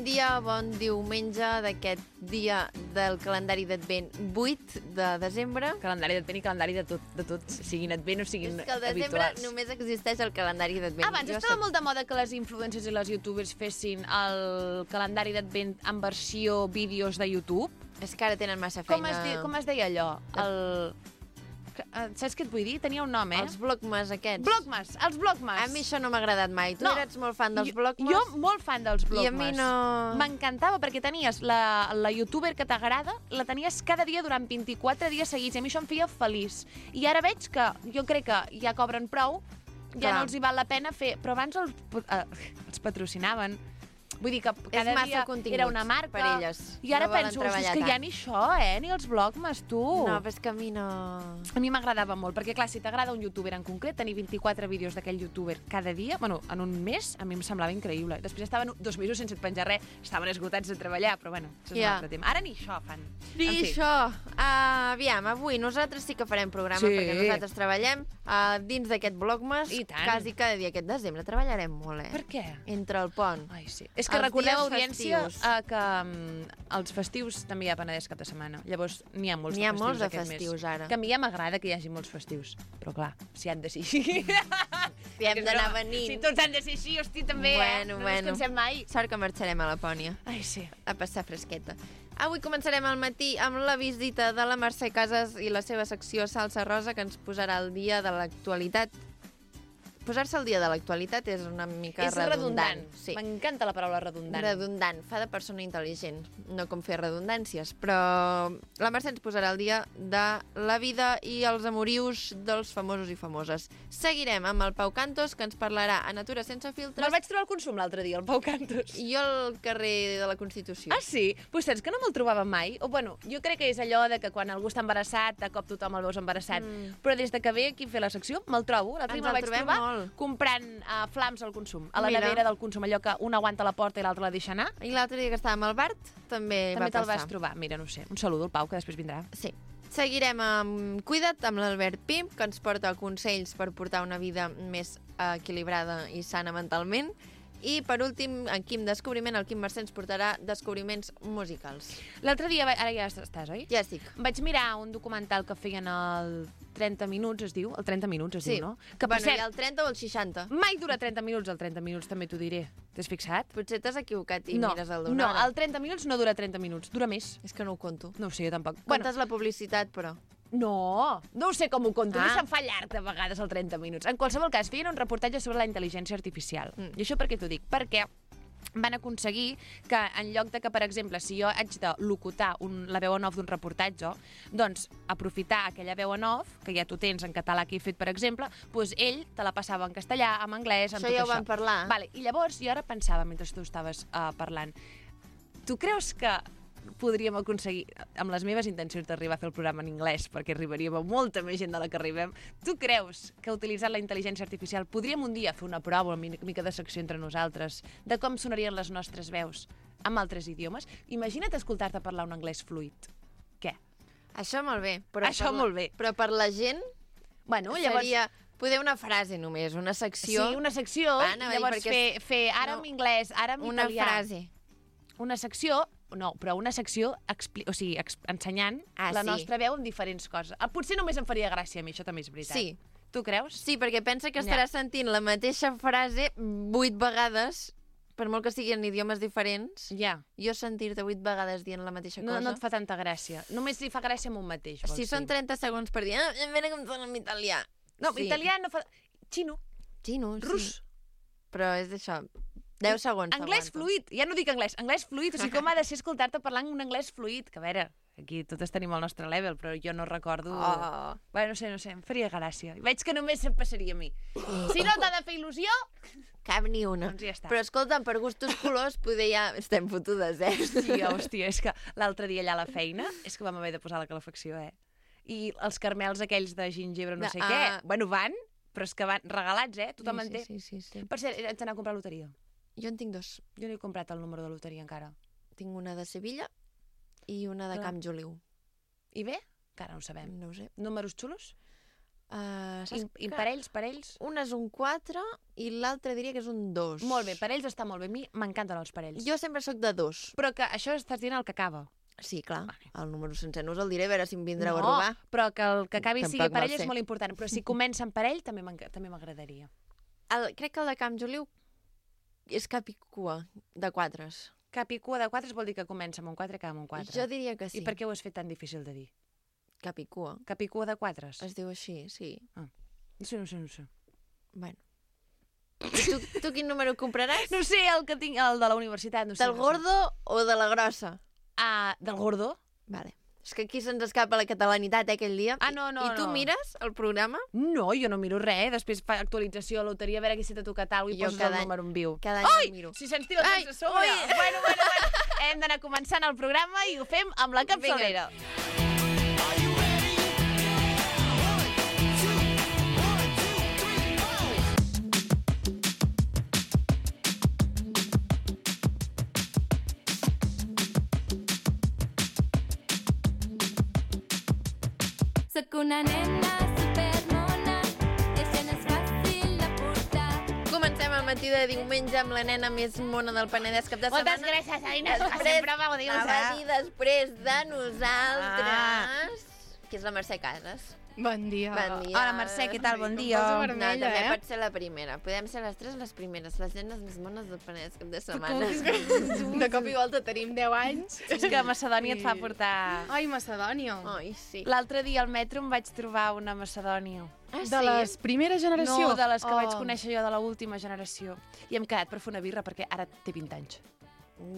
Bon dia, bon diumenge d'aquest dia del calendari d'Advent 8 de desembre. Calendari d'Advent i calendari de tot, siguin Advent o siguin És que al desembre habituals. només existeix el calendari d'Advent. Abans estava molt de moda que les influencers i les youtubers fessin el calendari d'Advent en versió vídeos de YouTube. És que ara tenen massa feina. Com es deia allò? Saps què et vull dir? Tenia un nom, Els vlogmas aquests. Els vlogmas. A mi això no m'ha agradat mai. Tu eres molt fan dels vlogmas? Jo molt fan dels vlogmas. I a mi no... M'encantava perquè tenies la youtuber que t'agrada, la tenies cada dia durant 24 dies seguits, i a mi això em feia feliç. I ara veig que jo crec que ja cobren prou, ja no els hi val la pena fer... Però abans els patrocinaven. Vull dir que cada dia era una marca. Per elles. I ara penso, és que ja ni això, ni els vlogmas, tu. No, però és que a mi no... A mi m'agradava molt, perquè clar, si t'agrada un youtuber en concret, tenir 24 vídeos d'aquell youtuber cada dia, bueno, en un mes, a mi em semblava increïble. Després estaven 2 mesos sense penjar res, estaven esgotats de treballar, però bueno, això és un altre tema. Ara ni això fan. Ni això. Aviam, avui nosaltres sí que farem programa, perquè nosaltres treballem dins d'aquest vlogmas. I tant. Quasi cada dia aquest desembre treballarem molt, Per què? Entre el pont. Ai, sí. És que recordeu, audiència, que els festius també hi ha Penedès cap de setmana. Llavors, n'hi ha molts de festius festius ara. Que a mi ja m'agrada que hi hagi molts festius. Però clar, si han de ser així... Si hem d'anar venint. Si tots han de ser així, hosti, també, no ens cansem mai. Sort que marxarem a Lapònia. Ai, sí. A passar fresqueta. Avui començarem al matí amb la visita de la Mercè Casas i la seva secció Salsa Rosa, que ens posarà al dia de l'actualitat. Posar-se al dia de l'actualitat és una mica redundant. Sí. M'encanta la paraula redundant. Redundant. Fa de persona intel·ligent, no com fer redundàncies. Però la Mercè ens posarà al dia de la vida i els amorius dels famosos i famoses. Seguirem amb el Pau Cantos, que ens parlarà a Natura sense filtres. Me'l vaig trobar al Consum l'altre dia, el Pau Cantos. I jo al carrer de la Constitució. Ah, sí? Pues saps que no me'l trobava mai? O, bueno, jo crec que és allò de que quan algú està embarassat, de cop tothom el veus embarassat. Però des de que ve aquí a fer la secció, me'l trobo. L'altre dia me'l vaig trobar comprant flams al Consum, a la nevera del Consum, allò que un aguanta la porta i l'altre la deixa anar. I l'altre dia que estàvem al Bart també va passar. També te'l vas trobar. Mira, no sé, un saludo al Pau, que després vindrà. Sí. Seguirem amb Cuida't, amb l'Albert Pim, que ens porta consells per portar una vida més equilibrada i sana mentalment. I, per últim, en Quim Descobriment, el Quim Mercè ens portarà descobriments musicals. L'altre dia, ara ja estàs, oi? Ja estic. Vaig mirar un documental que feien el 30 minuts, es diu? El 30 minuts es diu, no? Que, bueno, hi ha el 30 o el 60. Mai dura 30 minuts, el 30 minuts també t'ho diré. T'has fixat? Potser t'has equivocat i mires el d'una hora. No, el 30 minuts no dura 30 minuts, dura més. És que no ho conto. No ho sé, jo tampoc. Comptes la publicitat, però... No ho sé com ho conto, a mi se'm fa llarg de vegades el 30 minuts. En qualsevol cas, feien un reportatge sobre la intel·ligència artificial. I això per què t'ho dic? Perquè van aconseguir que en lloc de que, per exemple, si jo haig de locutar la veu en off d'un reportatge, doncs aprofitar aquella veu en off, que ja tu tens en català que he fet, per exemple, doncs ell te la passava en castellà, en anglès, en tot això. Això ja ho vam parlar. Vale, i llavors jo ara pensava, mentre tu estaves parlant, tu creus que podríem aconseguir, amb les meves intencions d'arribar a fer el programa en anglès, perquè arribaríem a molta més gent de la que arribem, tu creus que utilitzant la intel·ligència artificial podríem un dia fer una prova, una mica de secció entre nosaltres, de com sonarien les nostres veus amb altres idiomes? Imagina't escoltar-te parlar un anglès fluid. Què? Això molt bé. Molt bé. Però per la gent seria poder una frase només, una secció. Sí, una secció, i llavors fer ara en anglès, ara en italià. Una frase. Una secció... No, però una secció ensenyant la nostra veu en diferents coses. Potser només em faria gràcia a mi, això també és veritat. Sí. Tu creus? Sí, perquè pensa que estaràs sentint la mateixa frase 8 vegades, per molt que siguin idiomes diferents. Ja. Jo sentir-te 8 vegades dient la mateixa cosa... No et fa tanta gràcia. Només li fa gràcia amb un mateix, vols dir. Si són 30 segons per dir, mira com sona en italià. No, italià no fa... Xino. Rus. Però és això... 10 segons. Anglès fluid, ja no dic anglès fluid, o sigui, com ha de ser escoltar-te parlant un anglès fluid, que a veure, aquí totes tenim el nostre level, però jo no recordo... Bé, no sé, em faria gràcia. Veig que només se'm passaria a mi. Si no t'ha de fer il·lusió... Cap ni una. Doncs ja està. Però escolta'm, per gustos colors, poder ja... Estem fotudes, Sí, hòstia, és que l'altre dia allà a la feina, és que vam haver de posar la calefacció, I els carmels aquells de gingebre, no sé què, bueno, van, però és que van regalats, tothom en té. Sí. Per cert, ets d'anar a comprar loteria? Jo en tinc 2. Jo no he comprat el número de loteria encara. Tinc una de Sevilla i una de Camp Joliu. I bé? Encara no ho sabem. No ho sé. Números xulos? Parells? Un és un 4 i l'altre diria que és un 2. Molt bé, parells està molt bé. A mi m'encanten els parells. Jo sempre sóc de 2. Però que això estàs dient el que acaba. Sí, clar. El número sencer no us el diré, a veure si em vindreu a No, robar. però que el que acabi Tampoc sigui me'l parell sé. és molt important. Però si comença en parell també m'agradaria. Crec que el de Camp Joliu és cap i cua, de 4. Cap i cua de 4 vol dir que comença amb un 4 i acaba amb un 4. Jo diria que sí. I per què ho has fet tan difícil de dir? Cap i cua. Cap i cua de 4? Es diu així, sí. No sé. Bueno. I tu quin número compraràs? No sé, el que tinc, el de la universitat. No sé, Del gordo o de la grossa? Del gordo? Vale. És que aquí se'ns escapa la catalanitat, aquell dia. No. I tu mires el programa? No, jo no miro res. Després fa actualització a loteria, a veure qui se t'ha tocat alguna i Jo poses cada el any- número en viu. Cada any el miro. Si se'ns tira el temps a sobre. Bueno. Hem d'anar començant el programa i ho fem amb la capçalera. Soc una nena supermona, això no és fàcil de portar. Comencem el matí de diumenge amb la nena més mona del Penedès cap de setmana. Moltes gràcies, Aina, que sempre m'ho dius, Va dir després de nosaltres, que és la Mercè Casas. Bon dia. Bon dia. Hola, Mercè, què tal? Bon dia. poso No, vermella, també eh? pot ser la primera. Podem ser les tres les primeres, les nenes més mones del Penedès cap de Com setmana. que de cop i volta tenim 10 anys. És que Macedònia et fa portar... Ai, Macedònia. Ai, sí. L'altre dia al metro em vaig trobar una Macedònia. De les primera generació. No, de les que vaig conèixer jo de l'última generació. I hem quedat per fer una birra perquè ara té 20 anys.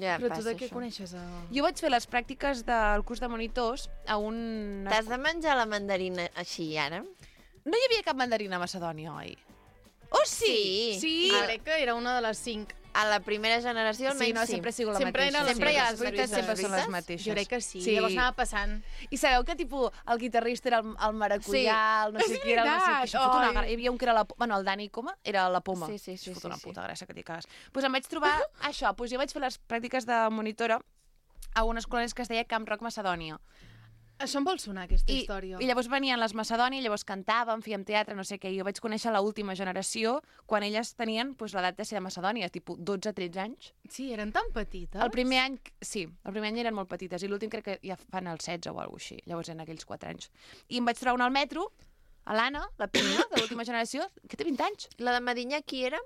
Ja Però tu passa de què això. coneixes? Jo vaig fer les pràctiques del curs de monitors a un... T'has de menjar la mandarina així, ara? No hi havia cap mandarina a Macedònia, oi? Oh, sí! Sí. Crec que era una de les 5. A la primera generació, Sí, almenys no, sí. sempre ha sigut la Sempre mateixa. eren les Sempre hi ha mateixes les veritats, mateixes sempre són les veritats? mateixes. Jo crec que sí. Llavors anava passant. I sabeu que, tipus, el guitarrista era el maracuyà, el no sé És qui era el no sé veritat, qui. Això fot una oi. gra... Hi havia un que era la... Bueno, el Dani Coma era la Poma. Sí. Això fot una puta gràcia que t'hi cagues. Doncs em vaig trobar això. Doncs jo vaig fer les pràctiques de monitora a una escola que es deia Camp Rock Macedònia. Això em vol sonar, aquesta història. I llavors venien les Macedònia, llavors cantàvem, fèiem teatre, no sé què, i jo vaig conèixer l'última generació quan elles tenien l'edat de ser de Macedònia, tipus 12-13 anys. Sí, eren tan petites. El primer any, sí, el primer any eren molt petites, i l'últim crec que ja fan el 16 o alguna cosa així, llavors eren aquells 4 anys. I em vaig trobar una al metro, a l'Anna, la prima de l'última generació, que té 20 anys, La de Medinyà, qui era?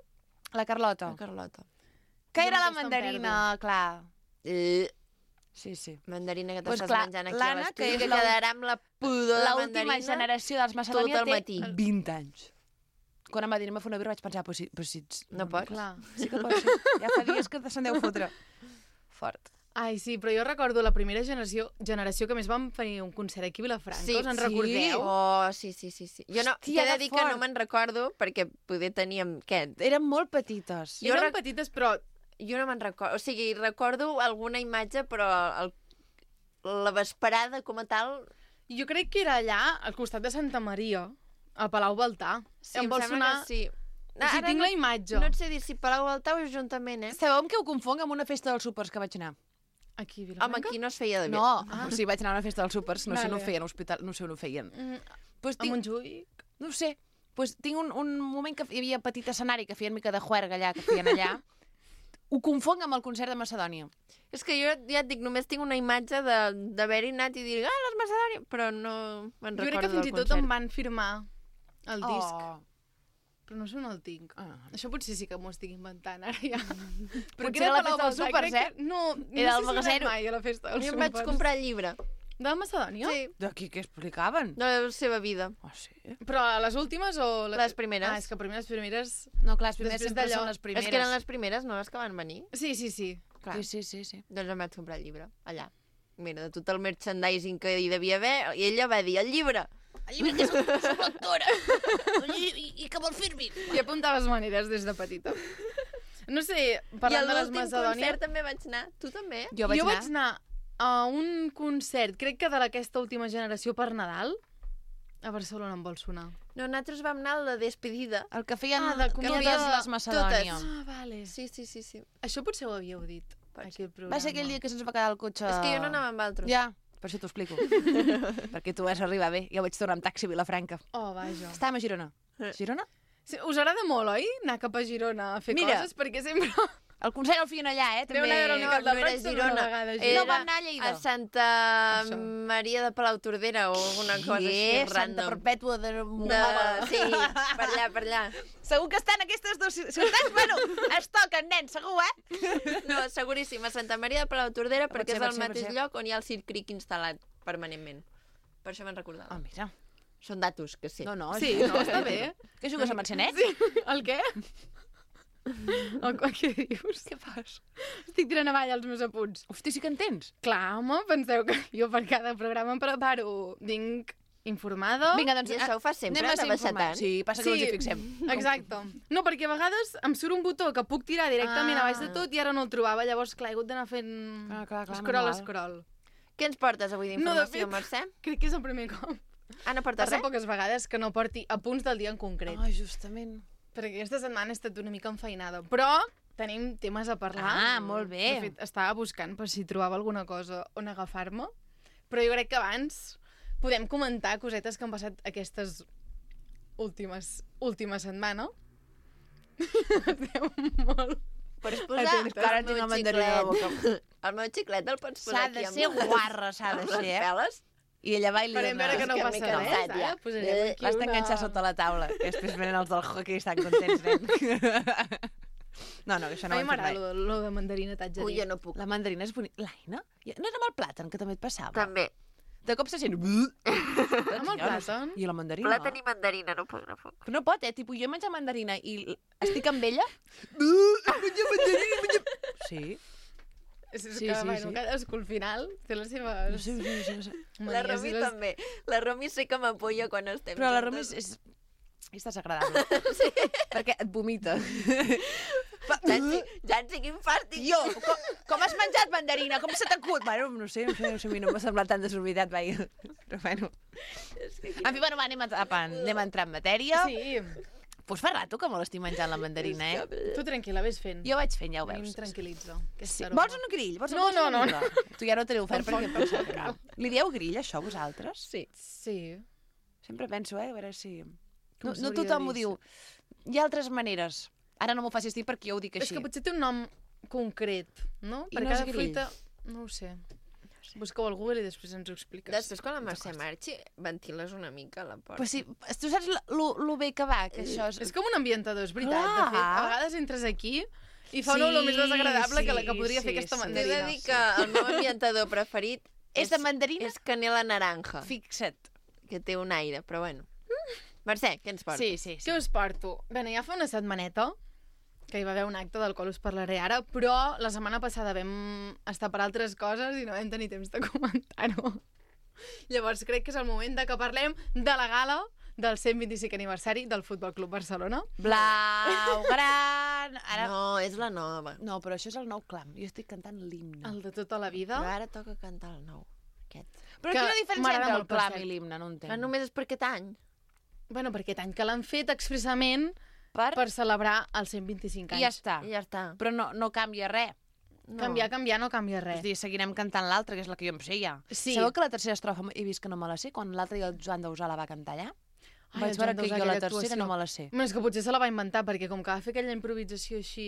la Carlota, La Carlota. que Jo era la aquesta em mandarina, clar. Sí. Mandarina que Pues t'estàs clar, menjant aquí a l'Anna, l'estudi, que és que quedarà amb la pudor de L'última mandarina. generació dels Macedònia tot el té matí. 20 anys. Quan em va dir anem a fer una birra vaig pensar, però si ets... No pots? Clar. Sí que pots, sí. Ja fa dies que se'n deu fotre. Fort. Ai, sí, però jo recordo la primera generació que més vam fer un concert aquí a Vilafranca, Sí, us en sí. recordeu? Oh, sí. Jo no, Hòstia, t'he de que dir que fort. no me'n recordo, perquè poder teníem, què? Eren molt petites. Jo Eren petites, però Jo no me'n recordo. O sigui, recordo alguna imatge, però la vesperada com a tal... jo crec que era allà, al costat de Santa Maria, a Palau Baltà. Sí, em vol sembla sonar... que sí. O sigui, tinc la imatge. No et sé dir si Palau Baltà o Ajuntament, eh? Sabeu amb què ho confonc? Amb una festa dels súpers que vaig anar. Aquí, a Home, Vilafranca? aquí no es feia de bé. No, o sigui, vaig anar a una festa dels súpers, no sé on ho Vale. feien, a l'hospital, no sé on ho feien. Pues A Montjuïc? No ho sé. Pues tinc un moment que hi havia petit escenari que feien mica de juerga allà, que feien allà. Ho confonc amb el concert de Macedònia. És que jo ja et dic, només tinc una imatge d'haver-hi anat i dir, les Macedònia, però no me'n Jo recordo crec que fins i tot em van firmar el disc. Però no sé on el tinc. Això potser sí que m'ho estic inventant, ara ja. Però Potser era la festa dels súpers, crec que... No, Era no el sé si he magazzero. anat mai a la festa dels Jo súpers. em vaig comprar el llibre. De la Macedònia? Sí, D'aquí què explicaven? de la seva vida. Ah, sí? Però a les últimes o... Les primeres. Ah, és que les primeres... No, clar, les primeres Després sempre d'allò- són les primeres. És que eren les primeres, no les que van venir. Sí. Clar. Sí. Doncs em vaig comprar el llibre, allà. Mira, de tot el merchandising que hi devia haver, i ella va dir, el llibre. El llibre que és lectora. I que vol fer-me. I apuntaves maneres des de petita. No sé, I parlant a de les l'últim Macedònia... concert també vaig anar. Tu també? Jo vaig vaig anar a un concert, crec que de aquesta última generació per Nadal, a Barcelona em vol sonar. No, nosaltres vam anar a la despedida. El que feien de totes comunió, les Macedònia. totes. Ah, vale. Sí. Això potser ho havíeu dit, aquí al programa. Va ser aquell dia que se'ns va quedar el cotxe... És que jo no anava amb altres. Ja, Per això t'ho explico. Perquè tu vas arribar bé. Jo vaig tornar amb taxi a Vilafranca. Oh, vaja. Estàvem a Girona. Girona? Sí, us agrada molt, oi? Anar cap a Girona a fer Mira. coses, perquè sempre... El Consell el feien allà, Deu anar a veure el Miquel de no era Prats una Girona. vegada. No vam anar a Lleida. A Santa Això. Maria de Palautordera o alguna cosa així Santa random. Perpètua de... Sí, per allà. Segur que estan aquestes dues ciutats? Bueno, es toquen, nen, segur, No, seguríssim, a Santa Maria de Palautordera, Pot perquè ser, és pot el ser, pot mateix ser. lloc on hi ha el Circ Cric instal·lat permanentment. Per això me'n recordava. Ah, mira. Són datos, que sí. No, no. Sí, no, està bé. Què jugues a Mancenet? Sí. El què? Què dius? Què fas? Estic tirant avall els meus apunts. Hosti, sí que en tens. Clar, home, penseu que jo per cada programa em preparo. Vinc informada. Vinga, doncs... I això ho fas sempre, anem a de ser baixar informats. tant? Sí, passa que no ens hi fixem. Exacte. No, perquè a vegades em surt un botó que puc tirar directament a baix de tot i ara no el trobava, llavors clar, he hagut d'anar fent clar, scroll, manual. scroll. Què ens portes avui d'informació, fet, Mercè? Crec que és el primer cop. Ah, no portes Passa res? poques vegades que no porti apunts del dia en concret. Ah, justament. Perquè aquesta setmana he estat una mica enfeinada. Però tenim temes a parlar. Ah, molt bé. De fet, estava buscant per si trobava alguna cosa on agafar-me. Però jo crec que abans podem comentar cosetes que han passat aquestes última setmana. Esteu molt... Pots posar Atentes. Ara tinc la mandarina a la boca. El meu xiclet el pots S'ha posar aquí de amb ser les- guarra, s'ha de amb ser, les eh? peles. I ella va i li Farem veure que no És que passa m'he res, cansat, ja. ara posarem aquí L'has d'enganxar sota la taula. I després venen els del hockey i estan contents, nen. No, això no ho A mi hem fet m'agrada mai. lo de mandarina, t'haig de Ui, dir. jo no puc. La mandarina és bonica. L'Aina? No era amb el plàtan, que també et passava? També. De cop se sent... Amb el plàtan? I la mandarina? Plàtan i mandarina, no puc, no puc. Però no pot, Tipus, jo menjo mandarina i estic amb ella... Sí. És Sí, que, sí, bueno, sí. cadascú al final té les seves... No sé. La Romi també. La Romi sé que m'apoya quan estem Però la juntes. Romi és desagradable. Sí. Perquè et vomita. Ja en quin fàstic. Jo, com has menjat mandarina? Com se t'acut? Bueno, no sé, a mi no m'ha semblat tan desorbitat, vaja. Però bueno. En fi, bueno, va, anem a entrar en matèria. Sí. Pues fa rato que me l'estic menjant la mandarina, Tu tranquil·la, vés fent. Jo vaig fent, ja ho A mi em veus. tranquil·litza. Sí. Vols un grill? Vols No, no, una no, birra? Tu ja no t'he ofert Tampoc, perquè em pensava que no. Li dieu grill, això, vosaltres? Sí. Sí. Sempre penso, a veure si... Com No s'hauria tothom de ho dir, diu. Hi ha altres maneres. Ara no m'ho facis dir perquè jo ho dic És així. que potser té un nom concret, no? I Per no és cada grill. fruita... No ho sé. Busqueu al Google i després ens ho expliques. Després, quan la Mercè marxi, ventiles una mica a la porta. Però sí, tu saps lo bé que va, que això és... És com un ambientador, és veritat. Clar. De fet, a vegades entres aquí i fa Sí, una olor més desagradable que la que podria sí, fer aquesta sí. T'he de mandarina. dir que el meu ambientador preferit És de mandarina? és canela naranja, Fixa't. que té un aire, però bueno. Mercè, què ens porta? Sí. Què us porto? Bé, ja fa una setmaneta que hi va haver un acte del qual us parlaré ara, però la setmana passada vam estar per altres coses i no vam tenir temps de comentar-ho. Llavors crec que és el moment de que parlem de la gala del 125 aniversari del Futbol Club Barcelona. Blau, gran... Ara... No, és la nova. No, però això és el nou clam. Jo estic cantant l'himne. El de tota la vida. Però ara toca cantar el nou, aquest. Però que quina diferència m'agrada entre el molt, per clam cert. i l'himne? No entenc. Però només és per aquest any. Bueno, perquè tant que l'han fet expressament per celebrar els 125 anys. I ja està. I ja està. Però no canvia res. No. Canviar no canvia És a res. dir, seguirem cantant l'altra, que és la que jo em sé ja. Sí. Sabeu que la tercera estrofa he vist que no me la sé? Quan l'altra i el Joan Dausà la va cantar allà? Ai, Vaig el veure Joan que Dausà, jo la aquella tercera actuació. no me la sé. Bueno, és que potser se la va inventar, perquè com que va fer aquella improvisació així...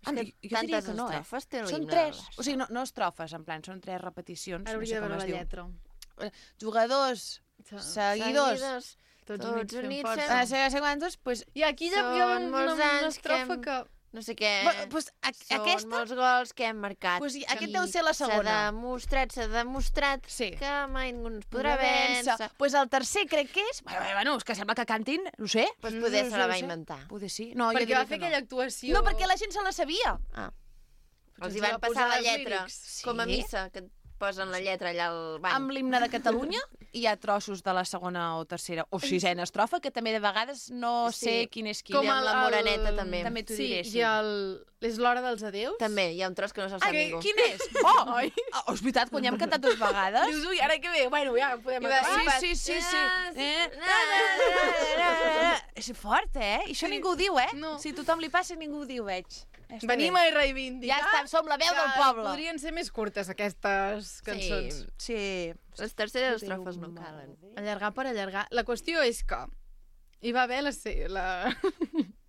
Ah, que jo diria tantes que no, estrofes té Són l'himne tres. del Barça. O sigui, no estrofes, en plan, són tres repeticions. Ara No hauria sé de com veure es la diu. lletra. Jugadors, seguidors, Tots Tots units fem units força. fem- sé quantos, pues... I aquí ja hi ha Són una molts anys estrofa que... No sé què... Pues, Són aquesta... molts gols que hem marcat. Pues, aquest deu ser la segona. S'ha demostrat Sí. que mai ningú ens podrà vèncer. Pues el tercer crec que és... Bueno, és que sembla que cantin, no sé. Pues poder se la No va sé. inventar. Poder sí. No, jo Perquè diria va fer que no. aquella actuació... No, perquè la gent se la sabia. Ah. Potser Els hi va van passar posar la els lletra, lírics. com a Sí. missa, que et posen la lletra allà al bany. Amb l'himne de Catalunya hi ha trossos de la segona o tercera o sisena estrofa que també de vegades no Sí. sé quin és quin. Com amb la Moreneta, també. També t'ho Sí, diré, sí. i és l'hora dels adeus. També, hi ha un tros que no se'l sap ningú. Quin és? Oh, és veritat, quan ja hem cantat dues vegades. Dius, ui, ara que ve? Bueno, ja podem I va- acabar. Sí, sí, sí, sí. Ah, És fort, eh? I això ningú ho diu, eh? No. Si a tothom li passa, ningú ho diu, veig. Venim a reivindicar... Ja està, som la veu del poble. Podrien ser més curtes, aquestes cançons. Sí. Les terceres estrofes no calen. Allargar per allargar. La qüestió és que hi va haver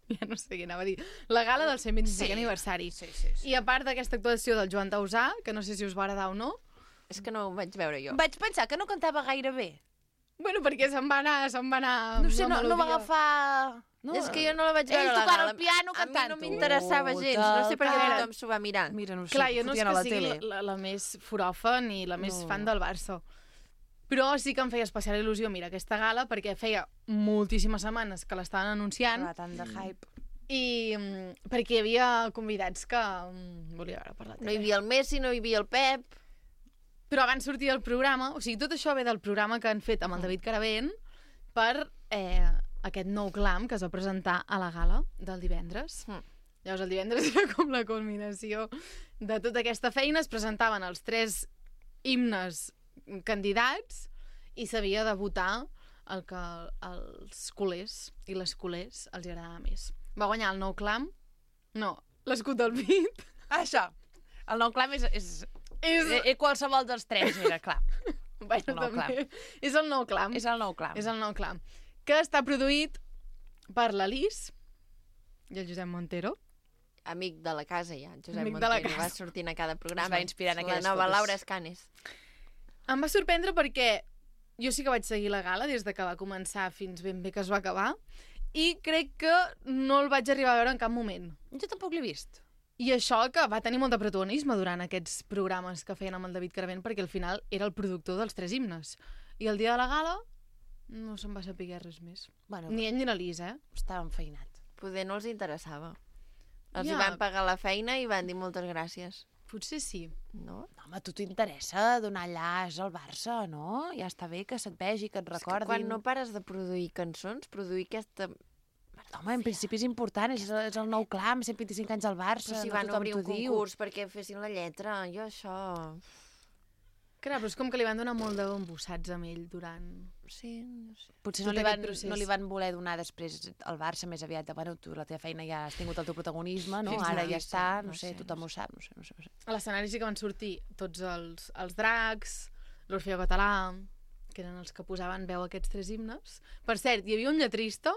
ja no sé què anava a dir. La gala del 125 aniversari. Sí. I a part d'aquesta actuació del Joan Dausà, que no sé si us va agradar o no... És que no ho vaig veure jo. Vaig pensar que no cantava gaire bé. Bueno, perquè se'n va anar... No sé, no va agafar... No, és que jo no la vaig veure ell la tocant gala. el piano, A mi cantant-ho. no m'interessava gens. No sé per què tothom s'ho va mirar. Mira, no sé, Clar, jo no és fotien a que la sigui tele. la més foròfa ni la més fan del Barça. Però sí que em feia especial il·lusió, mira, aquesta gala, perquè feia moltíssimes setmanes que l'estaven anunciant. Clar, tant de hype. I perquè hi havia convidats que volia veure per la No tele. hi havia el Messi, no hi havia el Pep... Però abans sortir del programa, o sigui, tot això ve del programa que han fet amb el David Caravent per aquest nou clam que es va presentar a la gala del divendres. Llavors, el divendres era com la culminació de tota aquesta feina. Es presentaven els 3 himnes candidats i s'havia de votar el que els culers i les culers els agradava més. Va guanyar el nou clam? No, l'escut del pit. Això. El nou clam és qualsevol dels 3, era clar. Bueno, El nou també. És el nou clam. És el nou clam. És el nou clam. Que està produït per l'Alice i el Josep Montero. Amic de la casa, ja. Josep Amic de la Montero va casa. sortint a cada programa. Es va inspirar en aquelles La nova fotos. Laura Escanes. Em va sorprendre perquè jo sí que vaig seguir la gala des de que va començar fins ben bé que es va acabar i crec que no el vaig arribar a veure en cap moment. Jo tampoc l'he vist. I això que va tenir molt de protagonisme durant aquests programes que feien amb el David Caravent perquè al final era el productor dels 3 himnes. I el dia de la gala no se'n va saber res més. Bueno, Ni ell ni l'Elisa, estava enfeinat. Poder no els interessava. Els Ja. hi van pagar la feina i van dir moltes gràcies. Potser sí. No? No, home, a tu t'interessa donar llaç al Barça, no? Ja està bé que se't vegi, que et És que recordin. quan no pares de produir cançons, produir aquesta... Home, en principi és important, és el nou clam, 125 anys al Barça, Però si no van tothom obrir t'ho un diu. concurs perquè fessin la lletra, jo això... Clar, però és com que li van donar molt de embossats amb ell durant... Sí, no sé. Potser tot no li, aquest van, procés. no li van voler donar després al Barça més aviat de, bueno, tu la teva feina ja has tingut el teu protagonisme, no? Fins Ara aquí, ja està, sí, no sé, tothom ho sap, no sé. A l'escenari sí que van sortir tots els dracs, l'Orfeo Català, que eren els que posaven veu a aquests 3 himnes. Per cert, hi havia un lletrista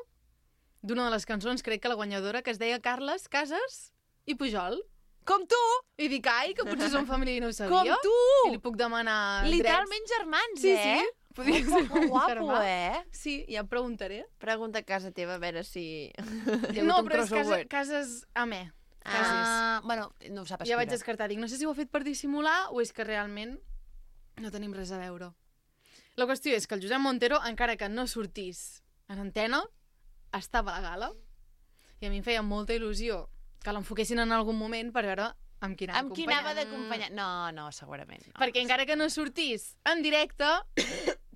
d'una de les cançons, crec que la guanyadora, que es deia Carles Casas i Pujol. Com tu! I dic, ai, que potser són família i no ho Com sabia. tu! I li puc demanar Literalment germans, drets. eh? Sí. Podria ser Que un guapo, germà. eh? Sí, ja preguntaré. Pregunta a casa teva a veure si... No, però és cases Amè. Bueno, no ho sap Ja escriure. vaig descartar. Dic, no sé si ho ha fet per dissimular o és que realment no tenim res a veure. La qüestió és que el Josep Montero, encara que no sortís en antena, estava a la gala i a mi em feia molta il·lusió que l'enfoquessin en algun moment per veure amb qui anava Amb qui anava d'acompanyar? No, segurament. No. Perquè encara que no sortís en directe,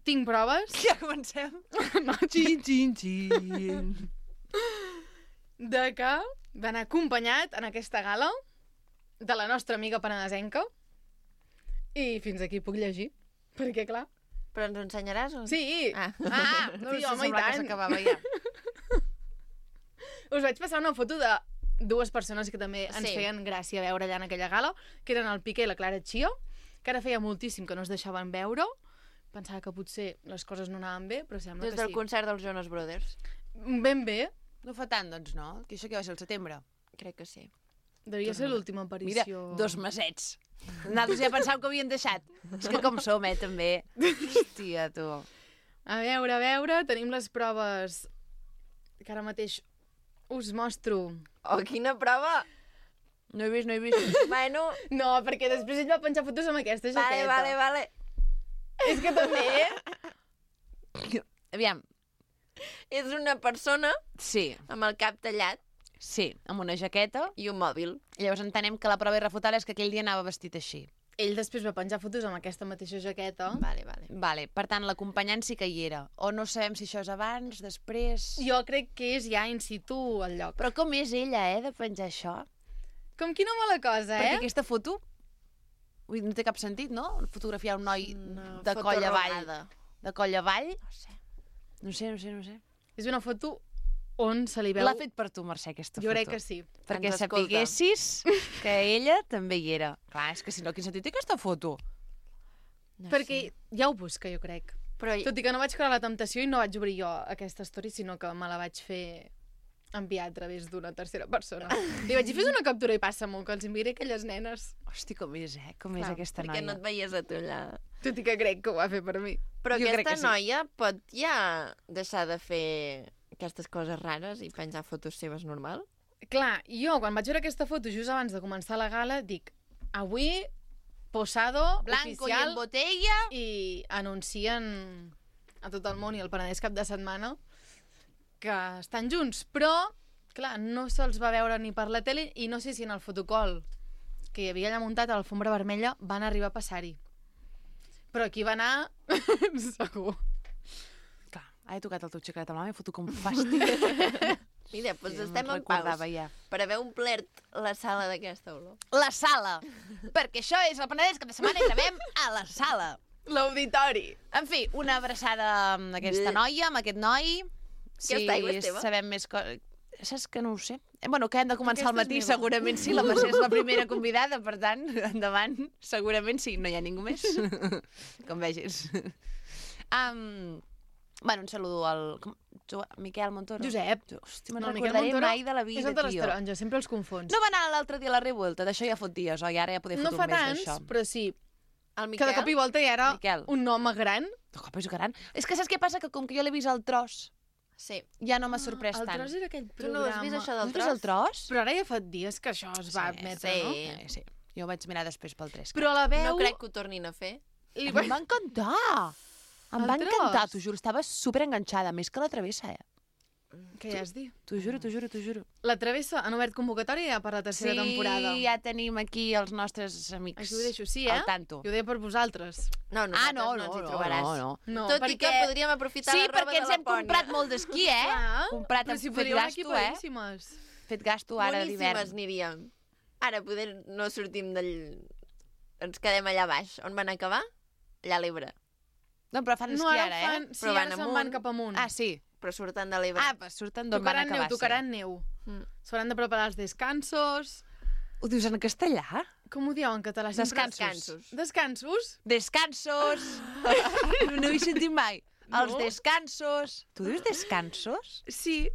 tinc proves Ja comencem. de que va anar acompanyat en aquesta gala de la nostra amiga penedesenca i fins aquí puc llegir, perquè clar... Però ens ho ensenyaràs? O... Sí! Ah. No Sí, sé, home, i semblava que tant. s'acabava ja. Us vaig passar una foto de 2 persones que també ens Sí. feien gràcia veure allà en aquella gala, que eren el Piqué i la Clara Chia, que ara feia moltíssim que no es deixaven veure. Pensava que potser les coses no anaven bé, però sembla Des que del sí. concert dels Jonas Brothers. Ben bé. No fa tant, doncs, no? Que això que va ser el setembre. Crec que sí. Devia ser l'última Mira, aparició. 2 mesets. Nosaltres ja pensàvem que havien deixat. És que com som, també. Hòstia, tu. A veure, tenim les proves que ara mateix us mostro. Oh, quina prova! No he vist. Bueno, No, perquè després ell va penjar fotos amb aquesta jaqueta. vale. És que també... Aviam, És una persona sí, amb el cap tallat amb una jaqueta. i un mòbil. Llavors entenem que la prova irrefutable és que aquell dia anava vestit així. Ell després va penjar fotos amb aquesta mateixa jaqueta. Vale. Vale, per tant, l'acompanyant sí que hi era. O no sabem si això és abans, després... Jo crec que és ja in situ al lloc. Però com és ella, de penjar això? Com quina mala cosa, Perquè eh? aquesta foto... Ui, no té cap sentit, no? Fotografiar un noi Una de foto coll avall. rodada. De coll avall? No sé. No sé. És una foto on se li veu... L'ha fet per tu, Mercè, aquesta foto. Jo crec que sí. Perquè Ens escolta. sapiguessis que ella també hi era. Clar, és que si no, quin sentit té aquesta foto? No Perquè sé. ja ho busca, jo crec. Però Tot i que no vaig crear la temptació i no vaig obrir jo aquesta story, sinó que me la vaig fer enviar a través d'una tercera persona. Li vaig dir, fes una captura i passa-m'ho, que els enviaré aquelles nenes. Hosti, com és, com és Clar, aquesta perquè noia? no et veies a tu allà. Tot i que crec que ho va fer per mi. Però Jo crec aquesta que sí. noia pot ja deixar de fer aquestes coses rares i penjar fotos seves normal? Clar, jo quan vaig veure aquesta foto just abans de començar la gala, dic, avui posado, Blanco i oficial, en botella. i anuncien a tot el món i el Penedès cap de setmana que estan junts, però clar, no se'ls va veure ni per la tele i no sé si en el fotocol que hi havia allà muntat a l'alfombra vermella van arribar a passar-hi. Però aquí va anar segur. Clar, he tocat el teu xiclet amb la mà i foto com fàstic. Mira, doncs Sí, estem me'n en paus recordava ja. per haver omplert la sala d'aquesta olor. La sala. Perquè això és el Penedès cap de setmana i gravem a la sala. L'auditori. En fi, una abraçada amb aquesta noia, amb aquest noi. Aquesta aigua és teva? Sabem més coses... Saps que no ho sé? Bueno, que hem de començar al Aquesta és matí, meva. segurament sí. La Mercè és la primera convidada, per tant, endavant. Segurament sí, no hi ha ningú més. Com vegis. Bueno, un saludo al... Miquel Montoro. Josep. Hosti, me'n No, el Miquel recordaré Montoro mai de la És vida, un de les tio. taronges, sempre els confons. No va anar l'altre dia a la Revuelta, d'això ja fot dies, oi? Ara ja podem No fotre fa un mes tants, d'això. però sí. El Que Miquel? de cop i volta ja era Miquel. un home gran. De cop és gran. És que saps què passa? Que com que jo l'he vist al tros, Sí. ja no m'ha sorprès El tant. tros era aquell Tu programa. no has vist això No del has vist el tros? Però ara ja fa dies que això es va Sí, admetre, sí. no? Sí. Jo ho vaig mirar després pel 3. Però la veu... No crec que ho tornin a fer. Li Em va encantar. Em El va tros? encantar, t'ho juro. Estava superenganxada, més que la travessa, Què ja has dit? T'ho juro, t'ho juro, t'ho juro. La Travessa han obert convocatòria ja per la tercera temporada. Sí, ja tenim aquí els nostres amics. Això ho deixo, sí, Al tanto. Jo ho deia per vosaltres. No, nosaltres no ens hi trobaràs. no. No, Tot i que podríem aprofitar Sí, la roba perquè de ens la hem Pònia. comprat molt d'esquí, Clar, Comprat, però si fet podríeu anar gasto, equipadíssimes. Fet gasto ara d'hivern. Boníssimes aniríem. Ara poder no sortim d'ell... Ens quedem allà baix. On van acabar? Allà a l'Ebre. No, però fan No, esquí ara ara, fan... Sí, Però van ara se'n amunt. van cap amunt. Ah, sí. Però surten de l'Ebre. Ah, pues surten d'on van acabar. Tocaran neu. Mm. S'hauran de preparar els descansos. Ho dius en castellà? Com ho dieu en català? Sempre- Descansos. Descansos? Descansos! No ho he sentit mai. Els No? descansos. Tu dius descansos? Sí.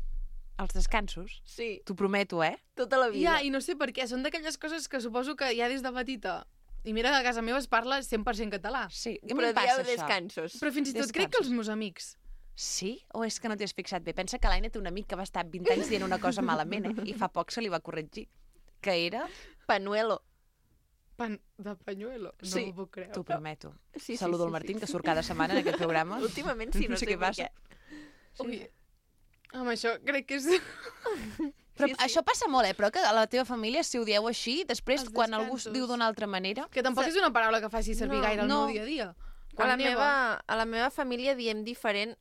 Els descansos? Sí, T'ho prometo, tota la vida. Ja, i no sé per què. Són d'aquelles coses que suposo que ja des de petita... I mira que a casa meva es parla 100% català. Sí. I Però em passa dieu això. descansos. Però fins i tot crec que els meus amics... Sí? O és que no t'hi has fixat bé? Pensa que l'Aina té un amic que va estar 20 anys dient una cosa malament, I fa poc se li va corregir. Que era... Panuelo. Pan de pañuelo. No Sí. m'ho puc creure. T'ho prometo. Sí, Saludo al Martín, que surt cada setmana en aquest programa. Últimament sí, no sé què per passa. què. Ui, amb això crec que és... Però Sí, sí. això passa molt, però que a la teva família, si ho dieu així, després, Els quan algú es descansos. diu d'una altra manera... Que tampoc és una paraula que faci servir No, gaire al no. meu dia a dia. A Quan neva... la meva família diem diferent.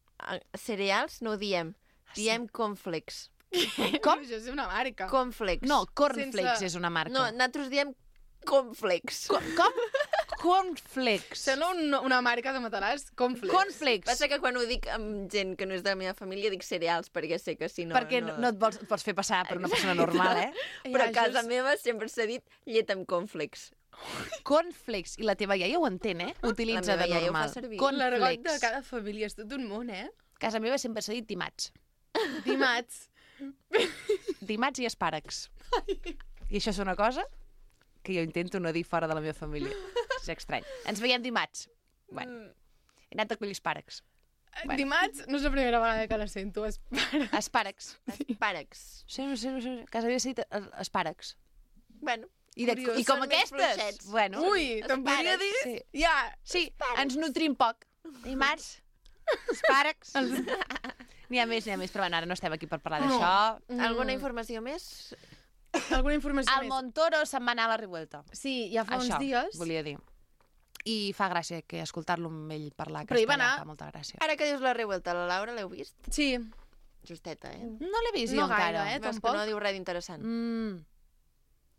Cereals no ho diem. Diem cornflakes. Com? Això és una marca. Cornflakes. No, Cornflakes Sense- és una marca. No, nosaltres diem cornflakes. Com? Cornflakes. Sembla una marca de matalàs. Cornflakes. Cornflakes. Passa que quan ho dic amb gent que no és de la meva família dic cereals, perquè sé que si no... Perquè no et pots fer passar per una persona normal, Però a Ja, casa just- meva sempre s'ha dit llet amb cornflakes. Cornflakes. I la teva iaia ho entén, Utilitza La meva de iaia ho fa normal. servir. L'argot de Cornflakes. cada família és tot un món, Casa meva sempre s'ha dit dimats. Dimats. Dimats i espàrrecs. I això és una cosa que jo intento no dir fora de la meva família. És estrany. Ens veiem dimarts. Bueno, he anat a collir espàrrecs. Bueno. Dimats no és la primera vegada que la sento. Espàrrecs. Espàrrecs. Sí, no sé. Casa meva s'ha dit espàrrecs. Bueno, Curiós. I com Són més aquestes. fluixets. Bueno, Ui, te'n podria dir? Sí. Ja. Sí, ens nutrim poc. Dimarts, espàrrecs. N'hi ha més, però bueno, ara no estem aquí per parlar d'això. alguna informació més? Alguna informació Al més? Montoro se'n va anar a la Revuelta. Sí, ja fa Això, uns dies. volia dir. I fa gràcia que escoltar-lo amb ell parlar Però hi va castellà anar. fa molta gràcia. Ara que dius la Revuelta, la Laura l'heu vist? Sí. Justeta, No l'he vist No jo encara. gaire, Veus que tampoc. no diu res d'interessant.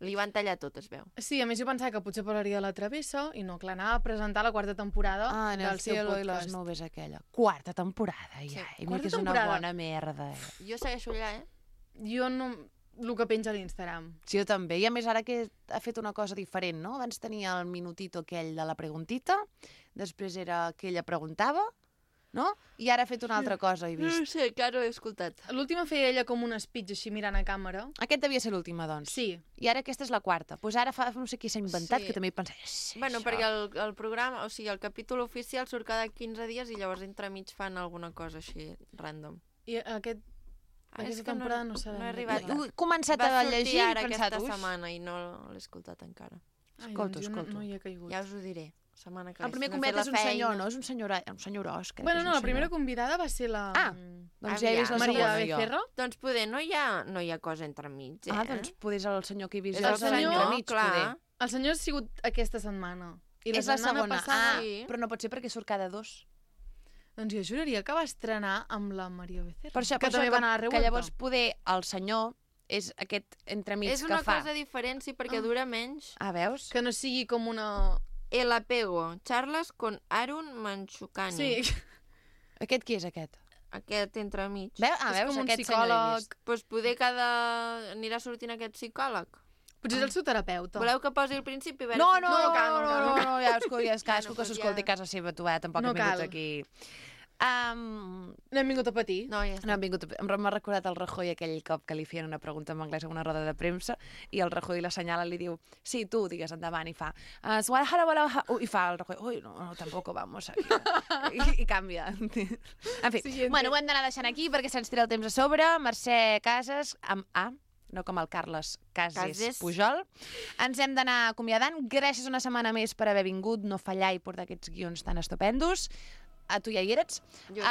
Li van tallar tot, es veu. Sí, a més jo pensava que potser parlaria de la Travessa i no, clar, anava a presentar la quarta temporada En el del seu cielo i les podcast. nubes aquella. Quarta temporada, ja. I mira Quarta que és una temporada. bona merda. Jo segueixo allà, Jo no... El que penja a l'Instagram. Sí, jo també. I a més ara que ha fet una cosa diferent, no? Abans tenia el minutito aquell de la preguntita, després era que ella preguntava, no? I ara ha fet una altra cosa, he No vist. sé, encara no he escoltat. L'última feia ella com un speech així mirant a càmera. Aquest devia ser l'última, doncs. Sí. I ara aquesta és la quarta. Doncs ara fa no sé qui s'ha inventat, Sí. que també he pensat... Sí, Bueno, això. perquè el programa, o sigui, el capítol oficial surt cada 15 dies i llavors entremig fan alguna cosa així, random. I aquesta temporada no s'ha no he arribat. He començat Va a sortir llegir i he ara pensat... aquesta "Ui". setmana i no l'he escoltat encara. Escolto, doncs jo escolto. No hi he caigut. Ja us ho diré, setmana que El primer si no he convidat fet és un la senyor, feina. no? És un senyorós, crec. Bueno, és no, un la primera senyor. convidada va ser la... Ah, doncs ja he vist la Aviam. Maria segona, jo. Becerra. Doncs poder no hi ha cosa entremig, Ah, doncs poder és el senyor que he vist És jo. el és senyor, entremig, clar. poder. El senyor ha sigut aquesta setmana. I És la setmana segona. passada... Sí. Però no pot ser perquè surt cada 2. Doncs jo juraria que va estrenar amb la Maria Becerra. Per això, que també va anar a la que revuelta. llavors poder el senyor és aquest entremig És que una fa. cosa diferent, sí, perquè dura menys. Ah, veus? Que no sigui com una... El apego, charlas con Arun Manchukani. Sí, Aquest qui és aquest? Aquest entremig. Veus? Ah, és veus? com un Aquest senyor l'he psicòleg. vist. Doncs poder anirà sortint aquest psicòleg. Potser és el seu terapeuta. Voleu que posi el principi? A veure No, si- no, No no, cal, no, no cal, no, no no, ja cadascú Bueno, que doncs s'escolti ja. a casa seva, tu, tampoc No hem vingut cal. aquí. No hem vingut a patir. No, ja està. No hem vingut m'ha recordat el Rajoy aquell cop que li feien una pregunta en anglès a una roda de premsa i el Rajoy l'assenyala i li diu sí, tu, digues endavant, i fa i fa el Rajoy, ui, no, tampoc vamos aquí. I canvia. En fi, Siguiente. bueno, ho hem d'anar deixant aquí perquè se'ns tira el temps a sobre. Mercè Casas, amb A, no com el Carles Cases Cases. Pujol. Ens hem d'anar acomiadant. Gràcies una setmana més per haver vingut, no fallar i portar aquests guions tan estupendos. A tu ja hi eres. Jo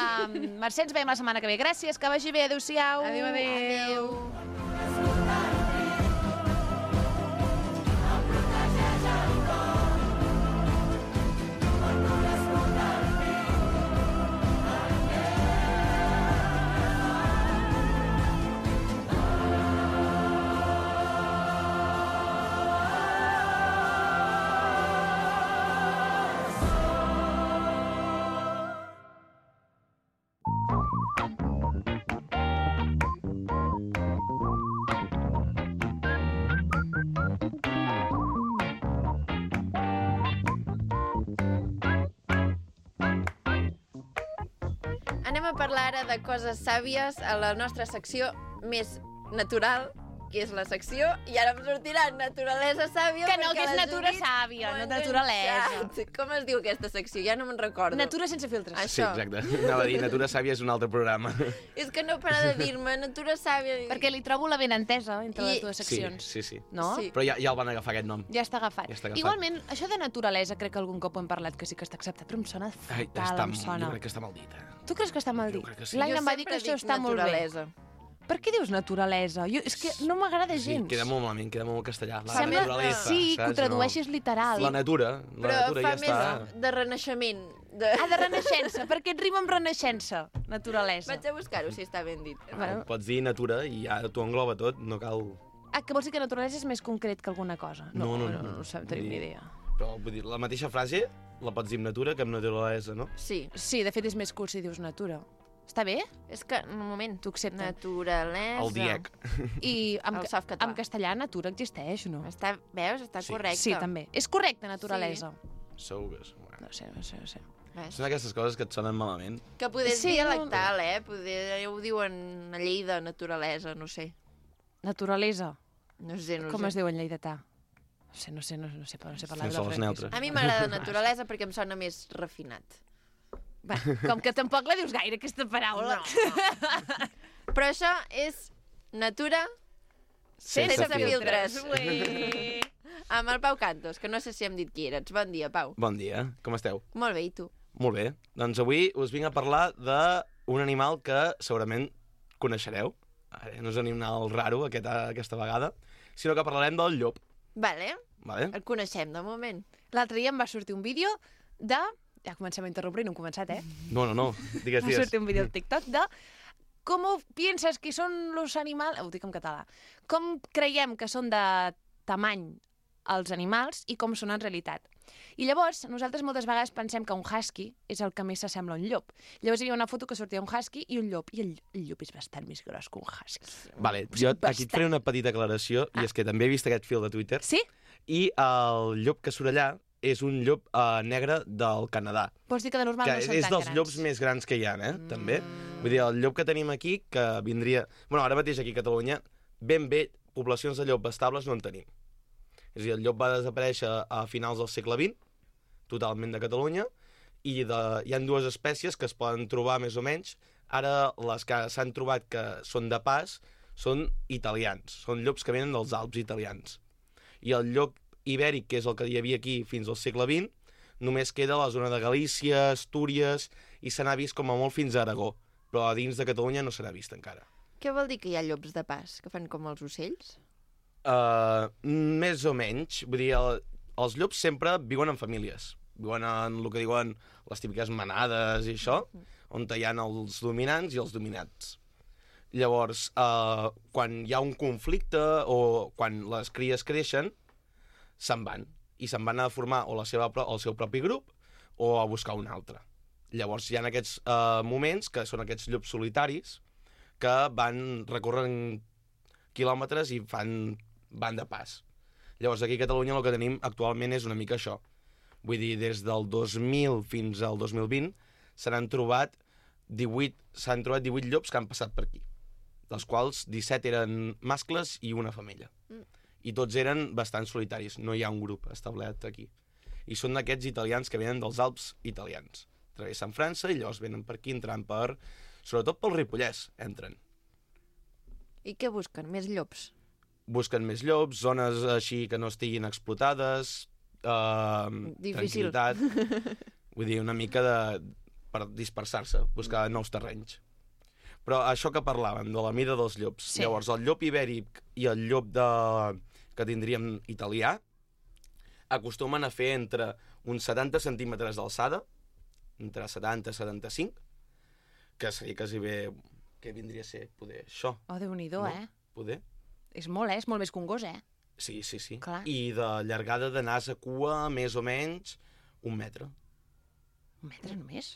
Mercè, ens veiem la setmana que ve. Gràcies, que vagi bé. Adéu-siau. Adéu, adéu. Adéu. Anem a parlar ara de coses sàvies a la nostra secció més natural, que és la secció, i ara em sortirà naturalesa sàvia. Que no, perquè que és la natura Judit sàvia, m'ho no ha naturalesa. enganxat. Com es diu aquesta secció? Ja no me'n recordo. Natura sense filtres. Això. Sí, exacte. Anava a dir, Natura Sàvia és un altre programa. És que no para de dir-me natura sàvia. Perquè li trobo la benentesa entre les dues Sí, seccions. sí. No? Sí. Però ja el van agafar aquest nom. Ja està agafat. Ja està agafat. Igualment, això de naturalesa, crec que algun cop ho hem parlat, que sí que està acceptat, però em sona fatal, em sona. Jo crec que està mal dit. Tu creus que està mal Jo dit? crec que sí. L'Aina Jo em va dir que sempre això dic està molt bé. naturalesa. Per què dius naturalesa? És que no m'agrada Sí, gens. queda molt malament, queda molt castellà. La Sembla naturalesa, sí, que ho saps? tradueixis literal. La natura, Però natura fa ja està. més de renaixement. Ah, de renaixença, perquè et rima amb renaixença, naturalesa. Vaig a buscar-ho, si està ben dit. Bueno. Pots dir natura i ja t'ho engloba tot, no cal... Ah, que vols dir que naturalesa és més concret que alguna cosa? No. No tenim ni idea. Però vull dir, la mateixa frase la pots dir amb natura que amb naturalesa, no? Sí. Sí, de fet és més curt si dius natura. Està bé? És que, un moment, T'ho accepten. naturalesa... El DIEC. I El softcatalà. en castellà natura existeix, no? Veus? Està Sí. correcte. Sí, també. És correcte, naturalesa. Segur que és. No sé. Ves? Són aquestes coses que et sonen malament. Que poder Sí, sí, dialectal, Poder, ho diuen a Lleida, naturalesa, no sé. Naturalesa. No sé. Com es diu en lleidatà? No sé parlar Sense de les francès. neutres. A mi m'agrada naturalesa perquè em sona més refinat. Va, com que tampoc la dius gaire, aquesta paraula. Però això és natura sense filtres. Ui. Amb el Pau Cantos, que no sé si hem dit qui eres. Bon dia, Pau. Bon dia, com esteu? Molt bé, i tu? Molt bé. Doncs avui us vinc a parlar d'un animal que segurament coneixereu. Ara, no és un animal raro aquesta vegada, sinó que parlarem del llop. Vale, Vale? el coneixem de moment. L'altre dia em va sortir un vídeo de... Ja comencem a interrompre i no hem començat, No. Digues, Va digues. sortir un vídeo al TikTok de ¿Cómo piensas que son los animals? Ho dic en català. Com creiem que són de tamany els animals i com són en realitat. I llavors, nosaltres moltes vegades pensem que un husky és el que més s'assembla a un llop. Llavors hi havia una foto que sortia un husky i un llop, i el llop és bastant més gros que un husky. Vale, jo aquí et faré una petita aclaració, i és que també he vist aquest fil de Twitter, Sí? i el llop que surt allà és un llop negre del Canadà, Vols dir que de normal que no són és tan dels grans? llops més grans que hi ha, també. Vull dir, el llop que tenim aquí, que vindria... Bueno, ara mateix aquí a Catalunya, ben bé, poblacions de llop estables no en tenim. És a dir, el llop va desaparèixer a finals del segle XX, totalment de Catalunya, i hi ha dues espècies que es poden trobar més o menys. Ara les que s'han trobat que són de pas són italians, són llops que venen dels Alps italians. I el llop ibèric, que és el que hi havia aquí fins al segle XX, només queda a la zona de Galícia, Astúries, i se n'ha vist com a molt fins a Aragó, però a dins de Catalunya no se n'ha vist encara. Què vol dir que hi ha llops de pas, que fan com els ocells? Més o menys. Vull dir, els llops sempre viuen en famílies. Viuen en el que diuen les típiques manades i això, on hi ha els dominants i els dominats. Llavors, quan hi ha un conflicte o quan les cries creixen, se'n van. I se'n van a formar o el seu propi grup o a buscar un altre. Llavors hi ha aquests moments, que són aquests llops solitaris, que van recorrent quilòmetres i van de pas. Llavors aquí a Catalunya el que tenim actualment és una mica això. Vull dir, des del 2000 fins al 2020 s'han trobat 18 llops que han passat per aquí, dels quals 17 eren mascles i una femella. I tots eren bastant solitaris, no hi ha un grup establert aquí. I són d'aquests italians que venen dels Alps italians. Travessen França i llavors venen per aquí, entrant per... Sobretot pel Ripollès, entren. I què busquen? Més llops? Busquen més llops, zones així que no estiguin explotades, Difícil. tranquil·litat... Vull dir, una mica per dispersar-se, buscar nous terrenys. Però això que parlàvem, de la mida dels llops. Sí. Llavors, el llop ibèric i el llop que tindríem italià acostumen a fer entre uns 70 centímetres d'alçada, entre 70 i 75, que seria quasi bé... Què vindria a ser? Poder això. Oh, Déu-n'hi-do, No? Poder? És molt més que un gos, Sí, sí, sí. Clar. I de llargada de nas a cua, més o menys, 1 metre. 1 metre només?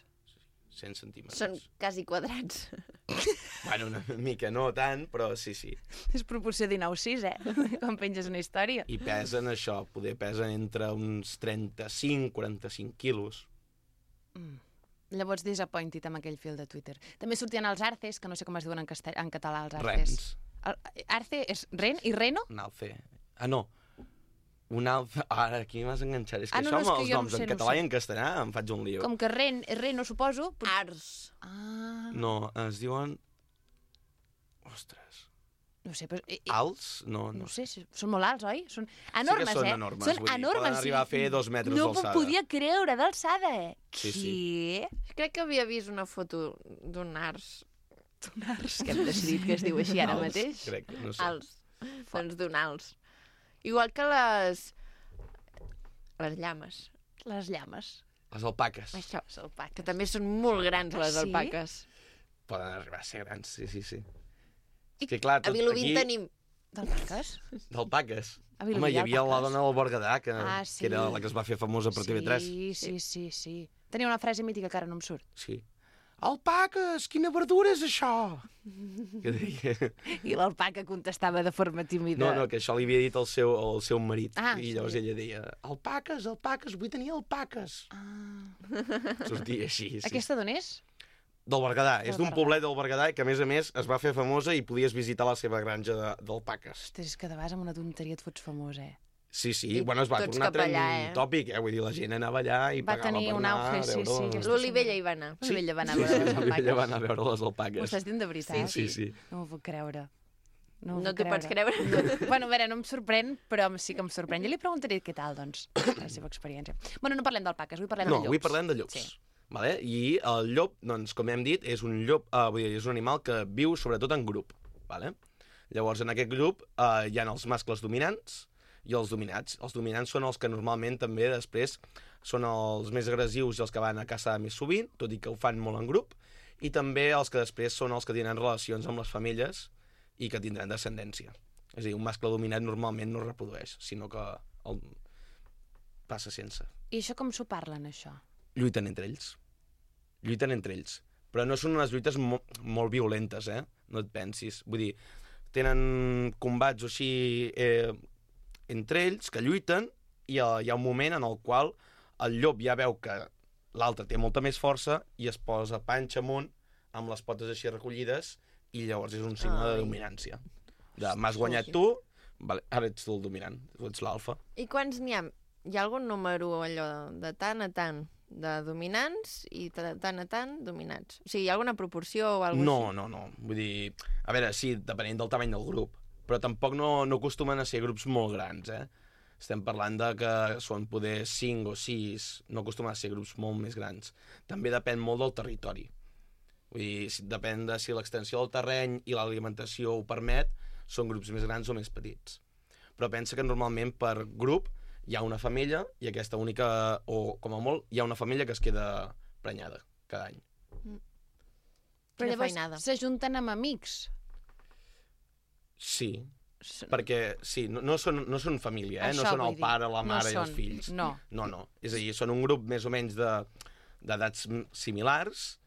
100 centímetres. Són quasi quadrats. Bueno, una mica no tant, però sí, sí. És proporció 19-6, quan penges una història. I pesen això, poder pesen entre uns 35-45 quilos. Llavors, disappointed amb aquell fil de Twitter. També sortien els arces, que no sé com es diuen en català, els arces. Rens. Arce és ren i reno? Un alce. Ah, no. Un alce... Ara, aquí m'has enganxat. És que Ah, no, això no, és amb que els jo no noms sé, en no català sé. i en castellà em faig un lío. Com que reno, suposo. Ars. Ah, No, es diuen... Ostres. no sé, però... Alts? No, No sé, són molt alts, oi? Són enormes, sí que són eh? enormes, Són vull dir, enormes. poden arribar a fer 2 metres no d'alçada. m'ho podia creure, d'alçada. Sí, sí. Què? Crec que havia vist una foto d'un ars. Un ars que hem decidit que es diu així ara Alts, mateix. Crec, no sé. Alts. Doncs d'un alts. Igual que les llames. Les llames. Les alpaques. Això. Les alpaques. Que també són molt grans, les Sí? alpaques. Poden arribar a ser grans, sí, sí, sí. És que clar, A tot Vilobí aquí... tenim... D'alpaques? D'alpaques. A Vilobí Home, hi hi ha havia la alpaques? dona del Berguedà, que Sí. era la que es va fer famosa per TV3. Sí. Tenia una frase mítica que ara no em surt. Sí. Alpaques, quina verdura és això? Que deia... I l'alpaca contestava de forma tímida. No, que això li havia dit el seu marit. Ah, I llavors sí. ella deia, alpaques, vull tenir alpaques. Sortia així, sí. Aquesta d'on és? Del Berguedà. És d'un Berguedà. poblet del Berguedà que, a més, es va fer famosa i podies visitar la seva granja d'alpaques. Ostres, és que de vegades amb una tonteria et fots famós, Sí, sí. I Bueno, es va tots tornar cap allà, tòpic, Vull dir, la gent anava allà i Va pagava tenir per un anar auge, a sí, veure... sí, aquesta L'Olivella hi va anar. L'Olivella va anar a Sí, veure les l'Olivella alpaques. va anar a veure les M'ho alpaques. estàs dient de veritat? Sí. No m'ho puc creure. No t'ho pots creure? Bueno, a veure, no em sorprèn, però sí que em sorprèn. Jo li preguntaré què tal, doncs, la seva experiència. Bueno, no parlem d'alpaques, avui parlem de llops. Avui parlem de llops. Sí. Vale? I el llop, doncs, com hem dit, és un llop, vull dir, és un animal que viu sobretot en grup. Vale? Llavors, en aquest grup hi ha els mascles dominants i els dominats. Els dominants són els que normalment també després són els més agressius i els que van a caçar més sovint, tot i que ho fan molt en grup, i també els que després són els que tenen relacions amb les femelles i que tindran descendència. És a dir, un mascle dominat normalment no es reprodueix, sinó que el passa sense. I això com s'ho parlen, això? Lluiten entre ells. Però no són unes lluites molt violentes, no et pensis. Vull dir, tenen combats o així entre ells que lluiten i hi ha un moment en el qual el llop ja veu que l'altre té molta més força i es posa panxa amunt amb les potes així recollides i llavors és un signe de dominància. M'has guanyat tu, vale, ara ets tu el dominant, tu ets l'alfa. I quants n'hi ha? Hi ha algun número allò de tant a tant de dominants i de tant a tant dominats? O sigui, hi ha alguna proporció o alguna cosa així? No. Vull dir, a veure, sí, depenent del tamany del grup, però tampoc no acostumen a ser grups molt grans, Estem parlant de que són poder 5 o 6, no acostumen a ser grups molt més grans. També depèn molt del territori. Vull dir, depèn de si l'extensió del terreny i l'alimentació ho permet, són grups més grans o més petits. Però pensa que normalment per grup hi ha una femella i aquesta única, o com a molt, hi ha una femella que es queda prenyada cada any. Però Quina llavors feinada. s'ajunten amb amics. Sí, perquè sí, no són família, no Això són vull el dir. pare, la No mare i els són, fills. no. No. És a dir, són un grup més o menys d'edats similars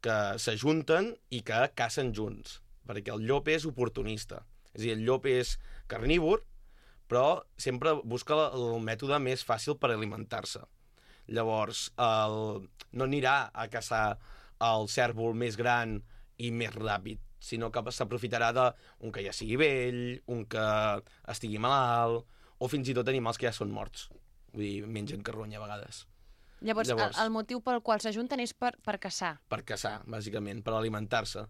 que s'ajunten i que cacen junts, perquè el llop és oportunista. És a dir, el llop és carnívor, però sempre busca el mètode més fàcil per alimentar-se. Llavors, no anirà a caçar el cèrvol més gran i més ràpid, sinó que s'aprofitarà d'un que ja sigui vell, un que estigui malalt, o fins i tot animals que ja són morts. Vull dir, mengen carronya a vegades. Llavors, el motiu pel qual s'ajunten és per caçar. Per caçar, bàsicament, per alimentar-se.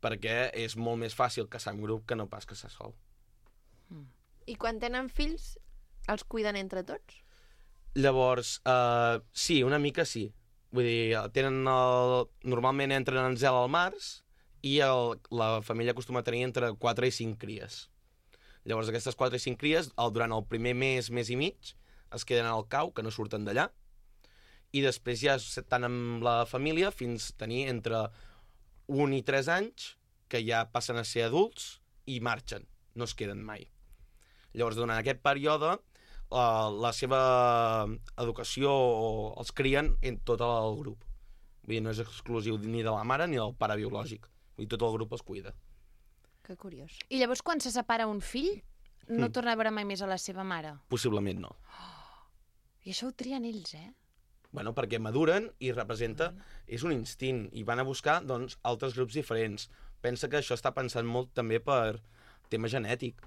Perquè és molt més fàcil caçar en grup que no pas caçar sol. I quan tenen fills, els cuiden entre tots? Llavors, sí, una mica sí. Vull dir, normalment entren en zel al març i la família acostuma a tenir entre 4 i 5 cries. Llavors, aquestes 4 i 5 cries, durant el primer mes i mig, es queden al cau, que no surten d'allà, i després ja estan amb la família fins a tenir entre 1 i 3 anys, que ja passen a ser adults i marxen, no es queden mai. Llavors, durant aquest període, la seva educació els crien en tot el grup. Vull dir, no és exclusiu ni de la mare ni del pare biològic. Vull dir, tot el grup els cuida. Que curiós. I llavors, quan se separa un fill, no torna a veure mai més a la seva mare. Possiblement no. I això ho trien ells, Bueno, perquè maduren i representa... És un instint i van a buscar, doncs, altres grups diferents. Pensa que això està pensant molt també per tema genètic.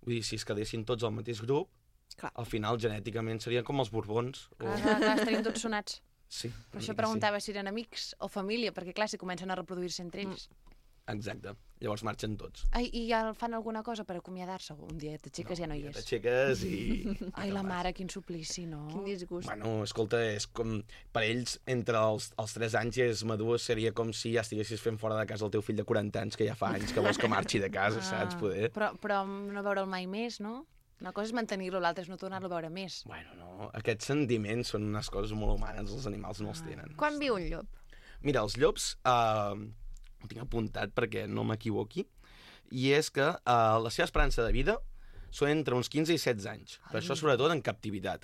Vull dir, si es quedessin tots al mateix grup, Clar. al final genèticament serien com els borbons. Clar, estarien tots sonats. Sí. Per això preguntava si eren amics o família, perquè clar, si comencen a reproduir-se entre ells. Exacte. Llavors marxen tots. Ai, i ja fan alguna cosa per acomiadar-se? Un dia t'aixeques i ja no hi és. T'aixeques i... Ai, la mare, quin suplici, no? Quin disgust. Bueno, escolta, és com... Per ells, entre els 3 anys i els madurs, seria com si ja estiguessis fent fora de casa el teu fill de 40 anys, que ja fa anys que vols que marxi de casa, saps? Poder. Però no veure'l mai més, no? Una cosa és mantenir-lo, l'altra és no tornar-lo a veure més. Bueno, no, aquests sentiments són unes coses molt humanes, els animals no els tenen. Quan viu un llop? Mira, els llops, ho tinc apuntat perquè no m'equivoqui, i és que la seva esperança de vida són entre uns 15 i 16 anys, però això sobretot en captivitat.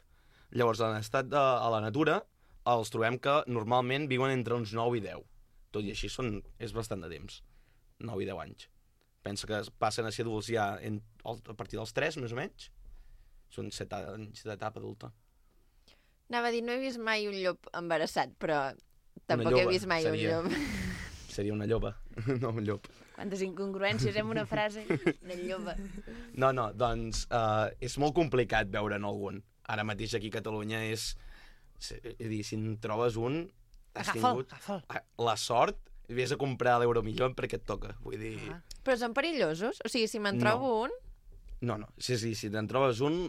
Llavors, en estat a la natura, els trobem que normalment viuen entre uns 9 i 10. Tot i així és bastant de temps, 9 i 10 anys. Pensa que passen a ser adults ja a partir dels 3, més o menys. Són 7 anys d'etapa adulta. Anava a dir, no he vist mai un llop embarassat, però tampoc lloba, he vist mai un llop. Seria una lloba, no un llop. Quantes incongruències en una frase. Una lloba. No, doncs és molt complicat veure'n algun. Ara mateix aquí a Catalunya és dir, si en trobes un, has tingut la sort, vés a comprar a l'Euromillón perquè et toca, vull dir... Però són perillosos? O sigui, si me'n trobo un... No, si te'n trobes un,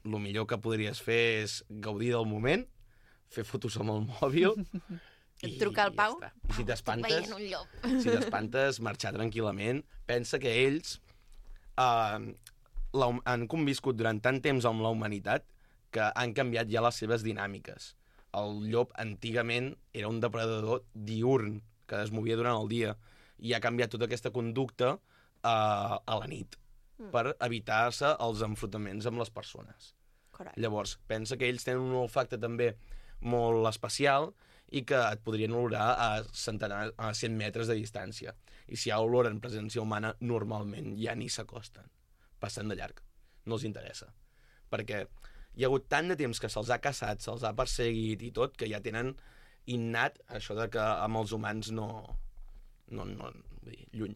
el millor que podries fer és gaudir del moment, fer fotos amb el mòbil... Et truca al Pau? Ja si t'espantes, un llop. si t'espantes, marxar tranquil·lament. Pensa que ells han conviscut durant tant temps amb la humanitat que han canviat ja les seves dinàmiques. El llop antigament era un depredador diürn, que es movia durant el dia, i ha canviat tota aquesta conducta a la nit. per evitar-se els enfrontaments amb les persones. Correcte. Llavors, pensa que ells tenen un olfacte també molt especial i que et podrien olorar a 100 metres de distància. I si hi ha olor en presència humana, normalment ja ni s'acosten. Passen de llarg. No els interessa. Perquè hi ha hagut tant de temps que se'ls ha caçat, se'ls ha perseguit i tot, que ja tenen innat això de que amb els humans vull dir, lluny,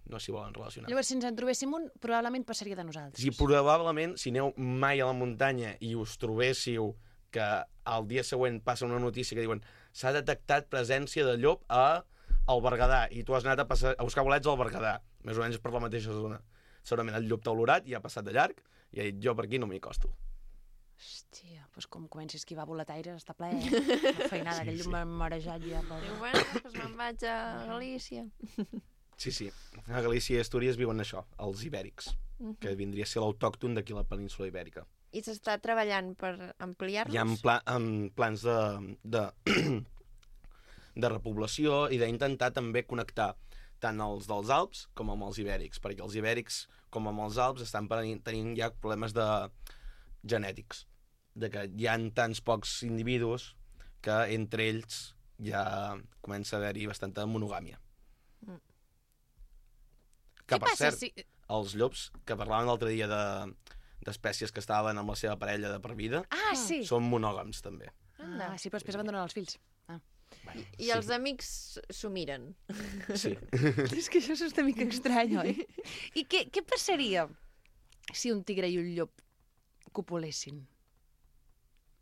no s'hi volen relacionar. Llavors, si ens en trobéssim un, probablement passaria de nosaltres. Si probablement, si aneu mai a la muntanya i us trobéssiu que al dia següent passa una notícia que diuen s'ha detectat presència de llop al Berguedà i tu has anat a buscar bolets al Berguedà, més o menys per la mateixa zona. Segurament el llop t'ha olorat i ha passat de llarg i ha dit jo per aquí no m'hi costo. Hòstia, doncs com comenci a esquivar boletaires està ple, La feinada, aquell llum marejat ja. Diu, bueno, doncs me'n vaig a Galícia. Sí. A Galícia i Astúries viuen això, els ibèrics, que vindria a ser l'autòcton d'aquí a la península ibèrica. I s'està treballant per ampliar-los? Hi ha plans de repoblació i d'intentar també connectar tant els dels Alps com amb els ibèrics, perquè els ibèrics, com amb els Alps, estan tenint ja problemes genètics, de que hi ha tants pocs individus que entre ells ja comença a haver-hi bastanta monogàmia. Que, per cert, els llops, que parlaven l'altre dia d'espècies que estaven amb la seva parella de per vida, Sí. són monògams, també. Sí, però després abandonen els fills. I els amics s'ho miren. Sí. És que això és una mica estrany, oi? I què passaria si un tigre i un llop copulessin?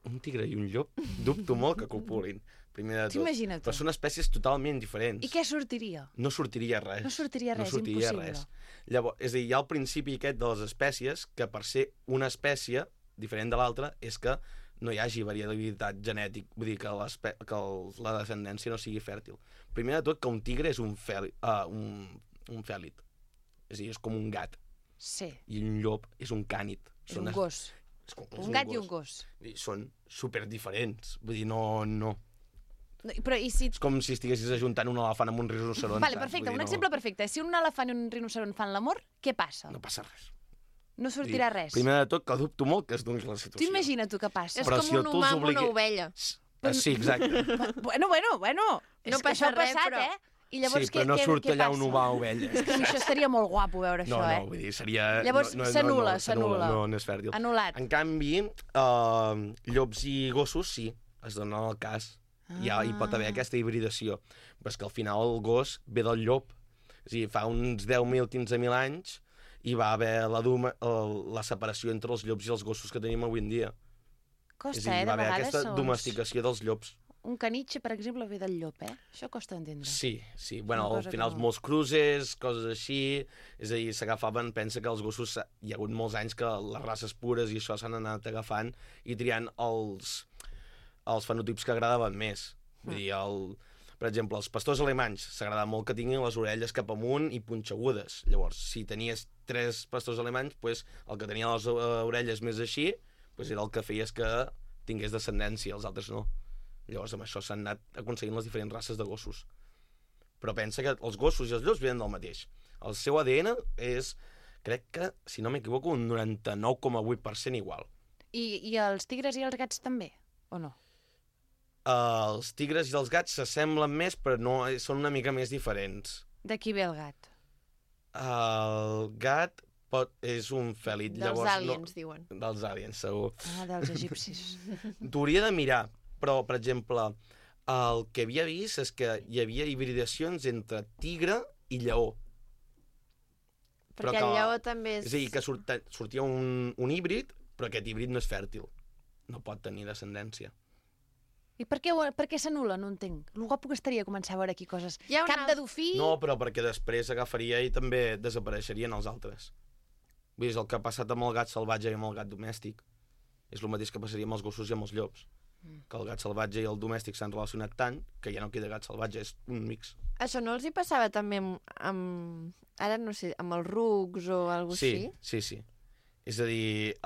Un tigre i un llop, dubto molt que copulin, primer de tot. T'imagina't tu. Però són espècies totalment diferents. I què sortiria? No sortiria res. No sortiria res, impossible. Llavors, és a dir, hi ha el principi aquest de les espècies, que per ser una espècie diferent de l'altra és que no hi hagi variabilitat genètica, vull dir que la descendència no sigui fèrtil. Primer de tot, que un tigre és un fèlid. És a dir, és com un gat. Sí. I un llop és un cànid. És un gos. Un gat i un gos. Són superdiferents. Vull dir, no. Però i si... És com si estiguessis ajuntant un elefant amb un rinoceront. Vale, perfecte, un exemple perfecte. Si un elefant i un rinoceront fan l'amor, què passa? No passa res. No sortirà res. Primer de tot, que dubto molt que es doni la situació. Tu imagina tu què passa. És com un humà amb una ovella. Sí, exacte. Bueno. No passa res, però... I llavors, sí, però no surt allà un humà ovella. Això estaria molt guapo veure això, No, vull dir, seria... Llavors s'anul·la. No és fèrtil. Anul·lat. En canvi, llops i gossos sí, es donen el cas. Ja hi pot haver aquesta hibridació. Però és que al final el gos ve del llop. És a dir, fa uns 10.000, 15.000 anys hi va haver la separació entre els llops i els gossos que tenim avui en dia. Costa, és a dir, de va haver vegades. aquesta domesticació dels llops. Un canitxe, per exemple, ve del llop, Això costa d'entendre. Sí. Bueno, al final molts cruces, coses així, és a dir, s'agafaven, pensa que els gossos, hi ha hagut molts anys que les races pures i això s'han anat agafant i triant els fenotips que agradaven més. Vull dir, per exemple, els pastors alemanys s'agrada molt que tinguin les orelles cap amunt i punxegudes. Llavors, si tenies 3 pastors alemanys, pues, el que tenia les orelles més així pues, era el que feies que tingués descendència, els altres no. Llavors, amb això s'han anat aconseguint les diferents races de gossos. Però pensa que els gossos i els llops venen del mateix. El seu ADN és, crec que, si no m'equivoco, un 99,8% igual. I els tigres i els gats també, o no? Els tigres i els gats s'assemblen més, però no, són una mica més diferents. De qui ve el gat? El gat és un fèlid. Dels aliens, diuen. Dels aliens, segur. Dels egipcis. T'hauria de mirar, però, per exemple, el que havia vist és que hi havia hibridacions entre tigre i lleó. Perquè el lleó també és... És a dir, que sortia un híbrid, però aquest híbrid no és fèrtil. No pot tenir descendència. I per què s'anul·la? No entenc. El guapo que estaria començar a veure aquí coses. Cap de dofí... No, però perquè després agafaria i també desapareixerien els altres. Vull dir, és el que ha passat amb el gat salvatge i amb el gat domèstic. És el mateix que passaria amb els gossos i amb els llops. Que el gat salvatge i el domèstic s'han relacionat tant que ja no queda gat salvatge, és un mix. Això no els hi passava també ara no sé, amb els rucs o alguna cosa així? Sí. És a dir,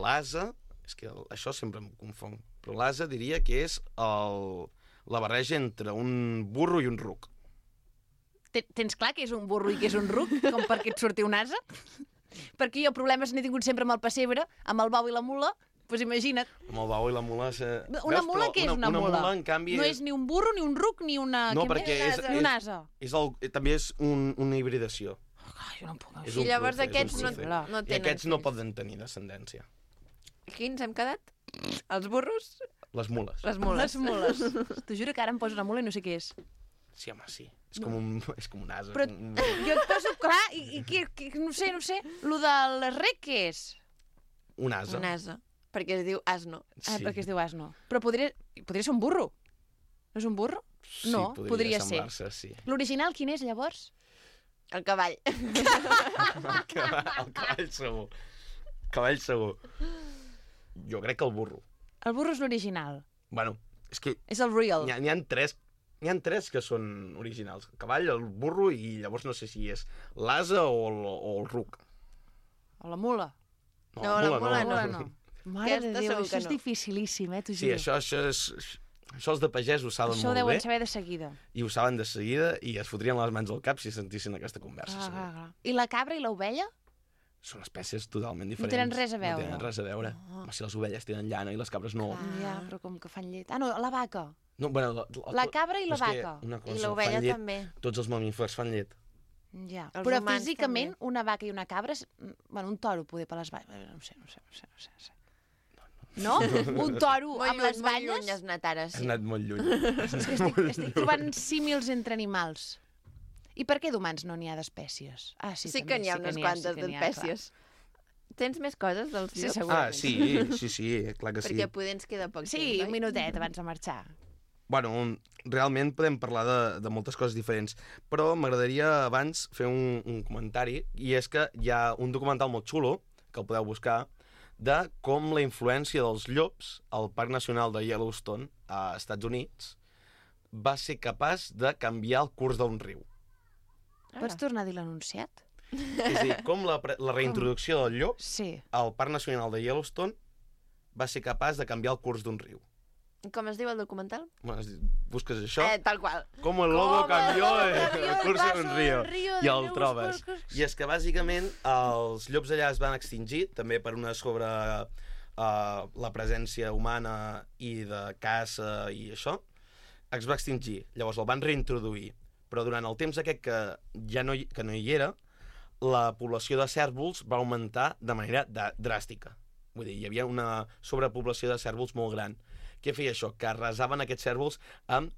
l'ase, és que això sempre em confon, però l'ase diria que és la barreja entre un burro i un ruc. Tens clar que és un burro i que és un ruc? Com perquè et surti un ase? Perquè jo problemes n'he tingut sempre amb el pessebre, amb el bou i la mula, doncs imagina't. Amb el bou i la mula... Una mula, què és una mula? Una mula, en canvi... No és ni un burro, ni un ruc, ni una... No, què perquè més? Ni un ase. també és una hibridació. Jo no em puc... És I llavors cruce, és aquests un no cruce. tenen I aquests no fills. poden tenir descendència. Quins hem quedat? Els burros? Les mules. Les mules. Les mules. T'ho juro que ara em poso una mula i no sé què és. Sí, home, sí. És com un ase. Però jo et poso... Clar, i no sé. Lo del rec, què és? Un ase. Un ase. Perquè es diu asno. Ah, perquè es diu asno. Però podria ser un burro. No és un burro? Sí, No, podria ser. semblar-se, sí. L'original quin és, llavors? El cavall. El cavall segur. Cavall segur. Jo crec que el burro. El burro és l'original. Bueno, és que És el real. n'hi ha tres que són originals. El cavall, el burro i llavors no sé si és l'ase o el ruc. O la mula. No, la mula La mula no. Mare de Aquesta Déu, segur això que és no. dificilíssim, t'ho Sí, juro. això els de pagès ho saben Això ho molt deuen bé saber de seguida. i ho saben de seguida i es fotrien les mans al cap si sentissin aquesta conversa. Clar, segur. clar, clar. I la cabra i l'ovella? Són espècies totalment diferents. tenen res a veure. No tenen res a veure. Home, si les ovelles tenen llana i les cabres no. Ja, però com que fan llet. Ah, no, la vaca. No, bueno, La cabra i la és que vaca. una cosa, I l'ovella fan llet, també. Tots els mamífers fan llet. Ja. Els Però humans físicament, també. una vaca i una cabra... Bueno, un toro poder per les valles. No sé. No? Un toro Molt amb les lluny, molt lluny valles? has anat ara, Has sí. anat molt lluny. És que estic trobant símils entre animals. I per què d'humans no n'hi ha d'espècies? Ah, sí, Sí també, que n'hi ha unes quantes d'espècies. Tens més coses dels Sí, llops? segurament. Sí, clar que sí. Perquè poder ens queda poc Sí, temps, un oi? minutet abans de marxar. Bueno, realment podem parlar de moltes coses diferents, però m'agradaria abans fer un comentari, i és que hi ha un documental molt xulo, que el podeu buscar, de com la influència dels llops al Parc Nacional de Yellowstone, a Estats Units, va ser capaç de canviar el curs d'un riu. Pots tornar a dir l'anunciat? És a dir, com la reintroducció del llop Sí. al Parc Nacional de Yellowstone va ser capaç de canviar el curs d'un riu. Com es diu el documental? Bueno, busques això, Tal qual. com el lobo canvió el el curs d'un riu, i el riu, trobes. I és que bàsicament els llops allà es van extingir, també per una sobre la presència humana i de caça i això, es va extingir. Llavors el van reintroduir, però durant el temps aquest que no hi era, la població de cérvols va augmentar de manera dràstica. Vull dir, hi havia una sobrepoblació de cérvols molt gran. Què feia això? Que arrasaven aquests cérvols amb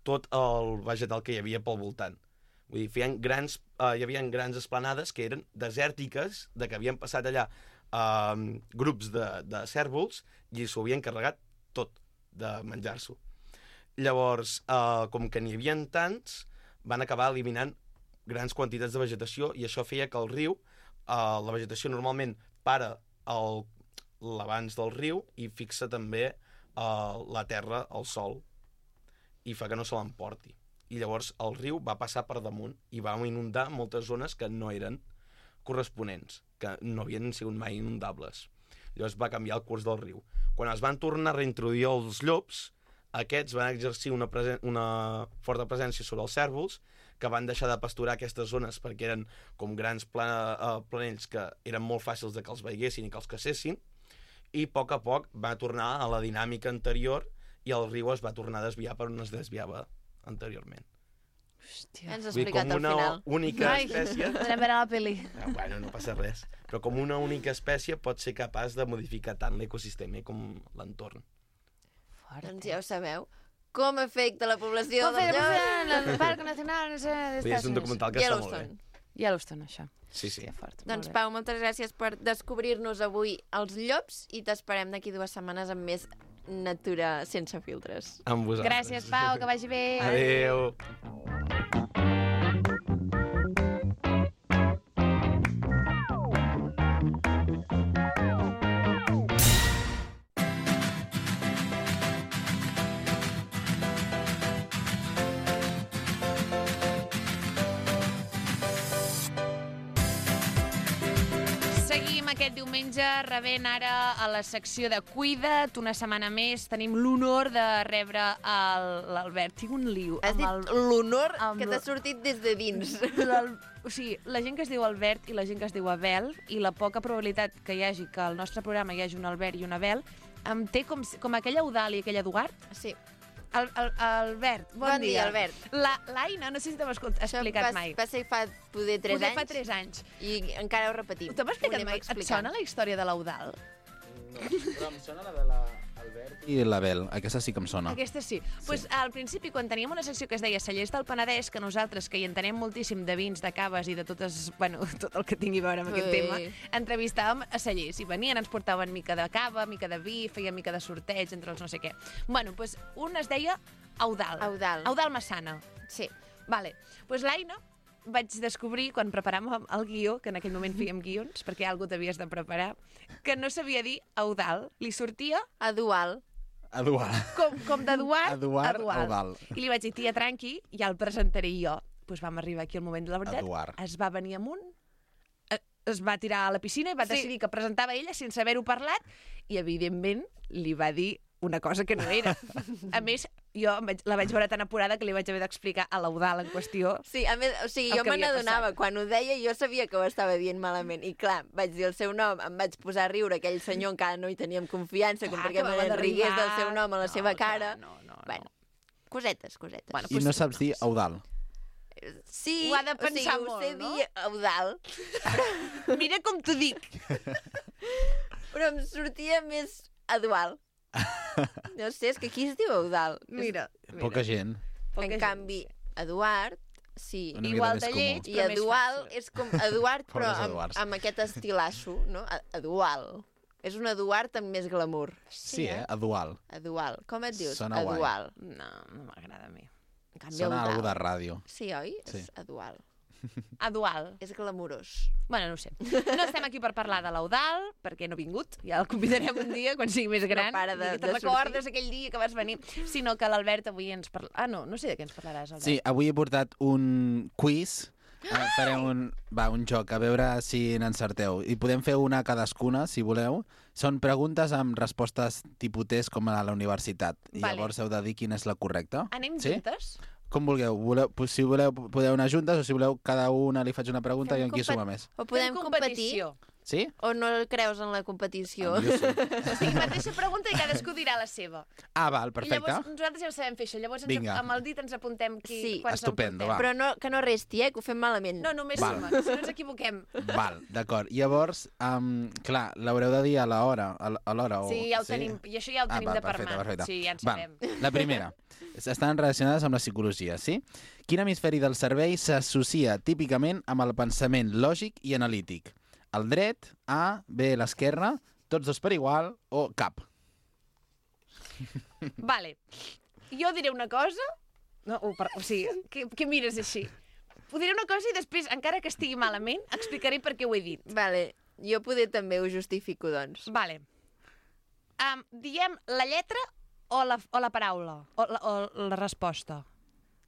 tot el vegetal que hi havia pel voltant. Vull dir, hi havia grans esplanades que eren desèrtiques, de que havien passat allà grups de cérvols i s'ho havien carregat tot de menjar-s'ho. Llavors, com que n'hi havia tants, van acabar eliminant grans quantitats de vegetació i això feia que el riu, la vegetació normalment para l'abans del riu i fixa també la terra al sol i fa que no se l'emporti. I llavors el riu va passar per damunt i va inundar moltes zones que no eren corresponents, que no havien sigut mai inundables. Llavors va canviar el curs del riu. Quan es van tornar a reintroduir els llops, aquests van exercir una forta presència sobre els cérvols, que van deixar de pasturar aquestes zones perquè eren com grans planells que eren molt fàcils de que els veiessin i que els cacessin, i a poc va tornar a la dinàmica anterior i el riu es va tornar a desviar per on es desviava anteriorment. Hòstia. Ens has Vull dir, explicat com al una final. única espècie... Podrem veure la peli. Bueno, no passa res. Però com una única espècie pot ser capaç de modificar tant l'ecosistema com l'entorn. Doncs ja ho sabeu. Com afecta la població Com fer dels llops? el Parc Nacional És un documental que està molt bé. Yellowstone. Yellowstone, això. Sí, sí. Que fort. Doncs molt bé. Pau, moltes gràcies per descobrir-nos avui els llops i t'esperem d'aquí 2 setmanes amb més natura sense filtres. Amb vosaltres. Gràcies, Pau, que vagi bé. Adéu. Seguim aquest diumenge diumenge, rebent ara a la secció de Cuida't, una setmana més, tenim l'honor de rebre l'Albert. Tinc un lío. Has dit l'honor que t'ha sortit des de dins. O sigui, la gent que es diu Albert i la gent que es diu Abel, i la poca probabilitat que hi hagi que al nostre programa hi hagi un Albert i un Abel, em té com aquella Eudal i aquella Eduard. Sí. Albert, bon dia. Albert. L'Aina, no sé si t'ho has explicat mai. Va ser fa poder 3 anys. Fa 3 anys. I encara ho repetim. T'ho has explicat mai? Et sona la història de l'Eudal? No, però em sona la de l'Albert i l'Abel. Aquesta sí que em sona. Aquesta sí. Pues, al principi, quan teníem una secció que es deia Cellers del Penedès, que nosaltres, que hi entenem moltíssim de vins, de caves i de tot el que tingui a veure amb aquest tema, entrevistàvem a cellers. I venien, ens portaven mica de cava, mica de vi, feien mica de sorteig entre els no sé què. Bueno, pues, un es deia Eudal. Eudal Massana. Sí. Vale. Pues l'Aina vaig descobrir, quan preparàvem el guió, que en aquell moment fèiem guions, perquè algú t'havies de preparar, que no sabia dir Eudal. Li sortia Edual. com d'Eduard, Eudal. I li vaig dir, tia, tranqui, ja el presentaré jo. Pues vam arribar aquí al moment de la veritat. Eduard. Es va venir amunt, es va tirar a la piscina i va decidir que presentava ella sense haver-ho parlat i, evidentment, li va dir una cosa que no era. A més, jo la vaig veure tan apurada que li vaig haver d'explicar a l'Eudal en qüestió. Sí, a més, o sigui, jo me n'adonava. Quan ho deia, jo sabia que ho estava dient malament. I clar, vaig dir el seu nom, em vaig posar a riure, aquell senyor encara no hi teníem confiança, com perquè me rigués del seu nom a la seva cara. No. Bueno, cosetes. Bueno, I no saps dir Eudal. Sí, ho ha de pensar ho molt, sé no? dir Eudal. Mira com t'ho dic. Però em sortia més Edual. No sé, és que aquí es diu Eudal. Mira. Poca gent. En canvi, Eduard, sí. Una mica Igual més de comú. lleig, I però més Edual fàcil. és com Eduard, però Pobres Eduards. amb aquest estilasso, no? Edual. És un Eduard amb més glamour. Sí, Edual. Edual. Com et dius? Sona guai. Edual. No m'agrada a mi. En canvi, Sona Eudal. algú de ràdio. Sí, oi? Sí. És Edual. Edual. És glamurós. Bueno, no ho sé. No estem aquí per parlar de l'Eudal, perquè no ha vingut. Ja el convidarem un dia, quan sigui més gran. No para de Te'n recordes sortir. aquell dia que vas venir? Sinó que l'Albert avui ens parla... Ah, no sé de què ens parlaràs, Albert. Sí, avui he portat un quiz. Farem un joc, a veure si n'encerteu. I podem fer una cadascuna, si voleu. Són preguntes amb respostes tipus test com a la universitat. I Vale. llavors heu de dir quina és la correcta. Anem Sí? juntes? Com vulgueu. Si voleu, podeu anar juntes, o si voleu, cada una li faig una pregunta i en qui suma més. O podem Fem competir? competició. Sí? O no creus en la competició? Jo sí. O sigui, mateixa pregunta i cadascú dirà la seva. Ah, val, I perfecte. llavors nosaltres ja ho sabem fer, això. Llavors Vinga. amb el dit ens apuntem Sí. quan Estupendo, s'emportem. va. Però no, que no resti, que ho fem malament. No, només Val. suma, si no ens equivoquem. Val, d'acord. Llavors, clar, l'haureu de dir a l'hora. A l'hora Sí, ja ho tenim. I això ja ho tenim va, de per perfecte, mà. perfecte. Sí, ja en Va, sabem. la primera. Estan relacionades amb la psicologia, sí? Quin hemisferi del cervell s'associa típicament amb el pensament lògic i analític? El dret, A, B, l'esquerra, tots dos per igual o cap? Vale. Jo diré una cosa... No, o sigui, què mires així? Ho diré una cosa i després, encara que estigui malament, explicaré per què ho he dit. Vale, jo poder també ho justifico, doncs. Vale. Diem la lletra o la paraula? O la resposta?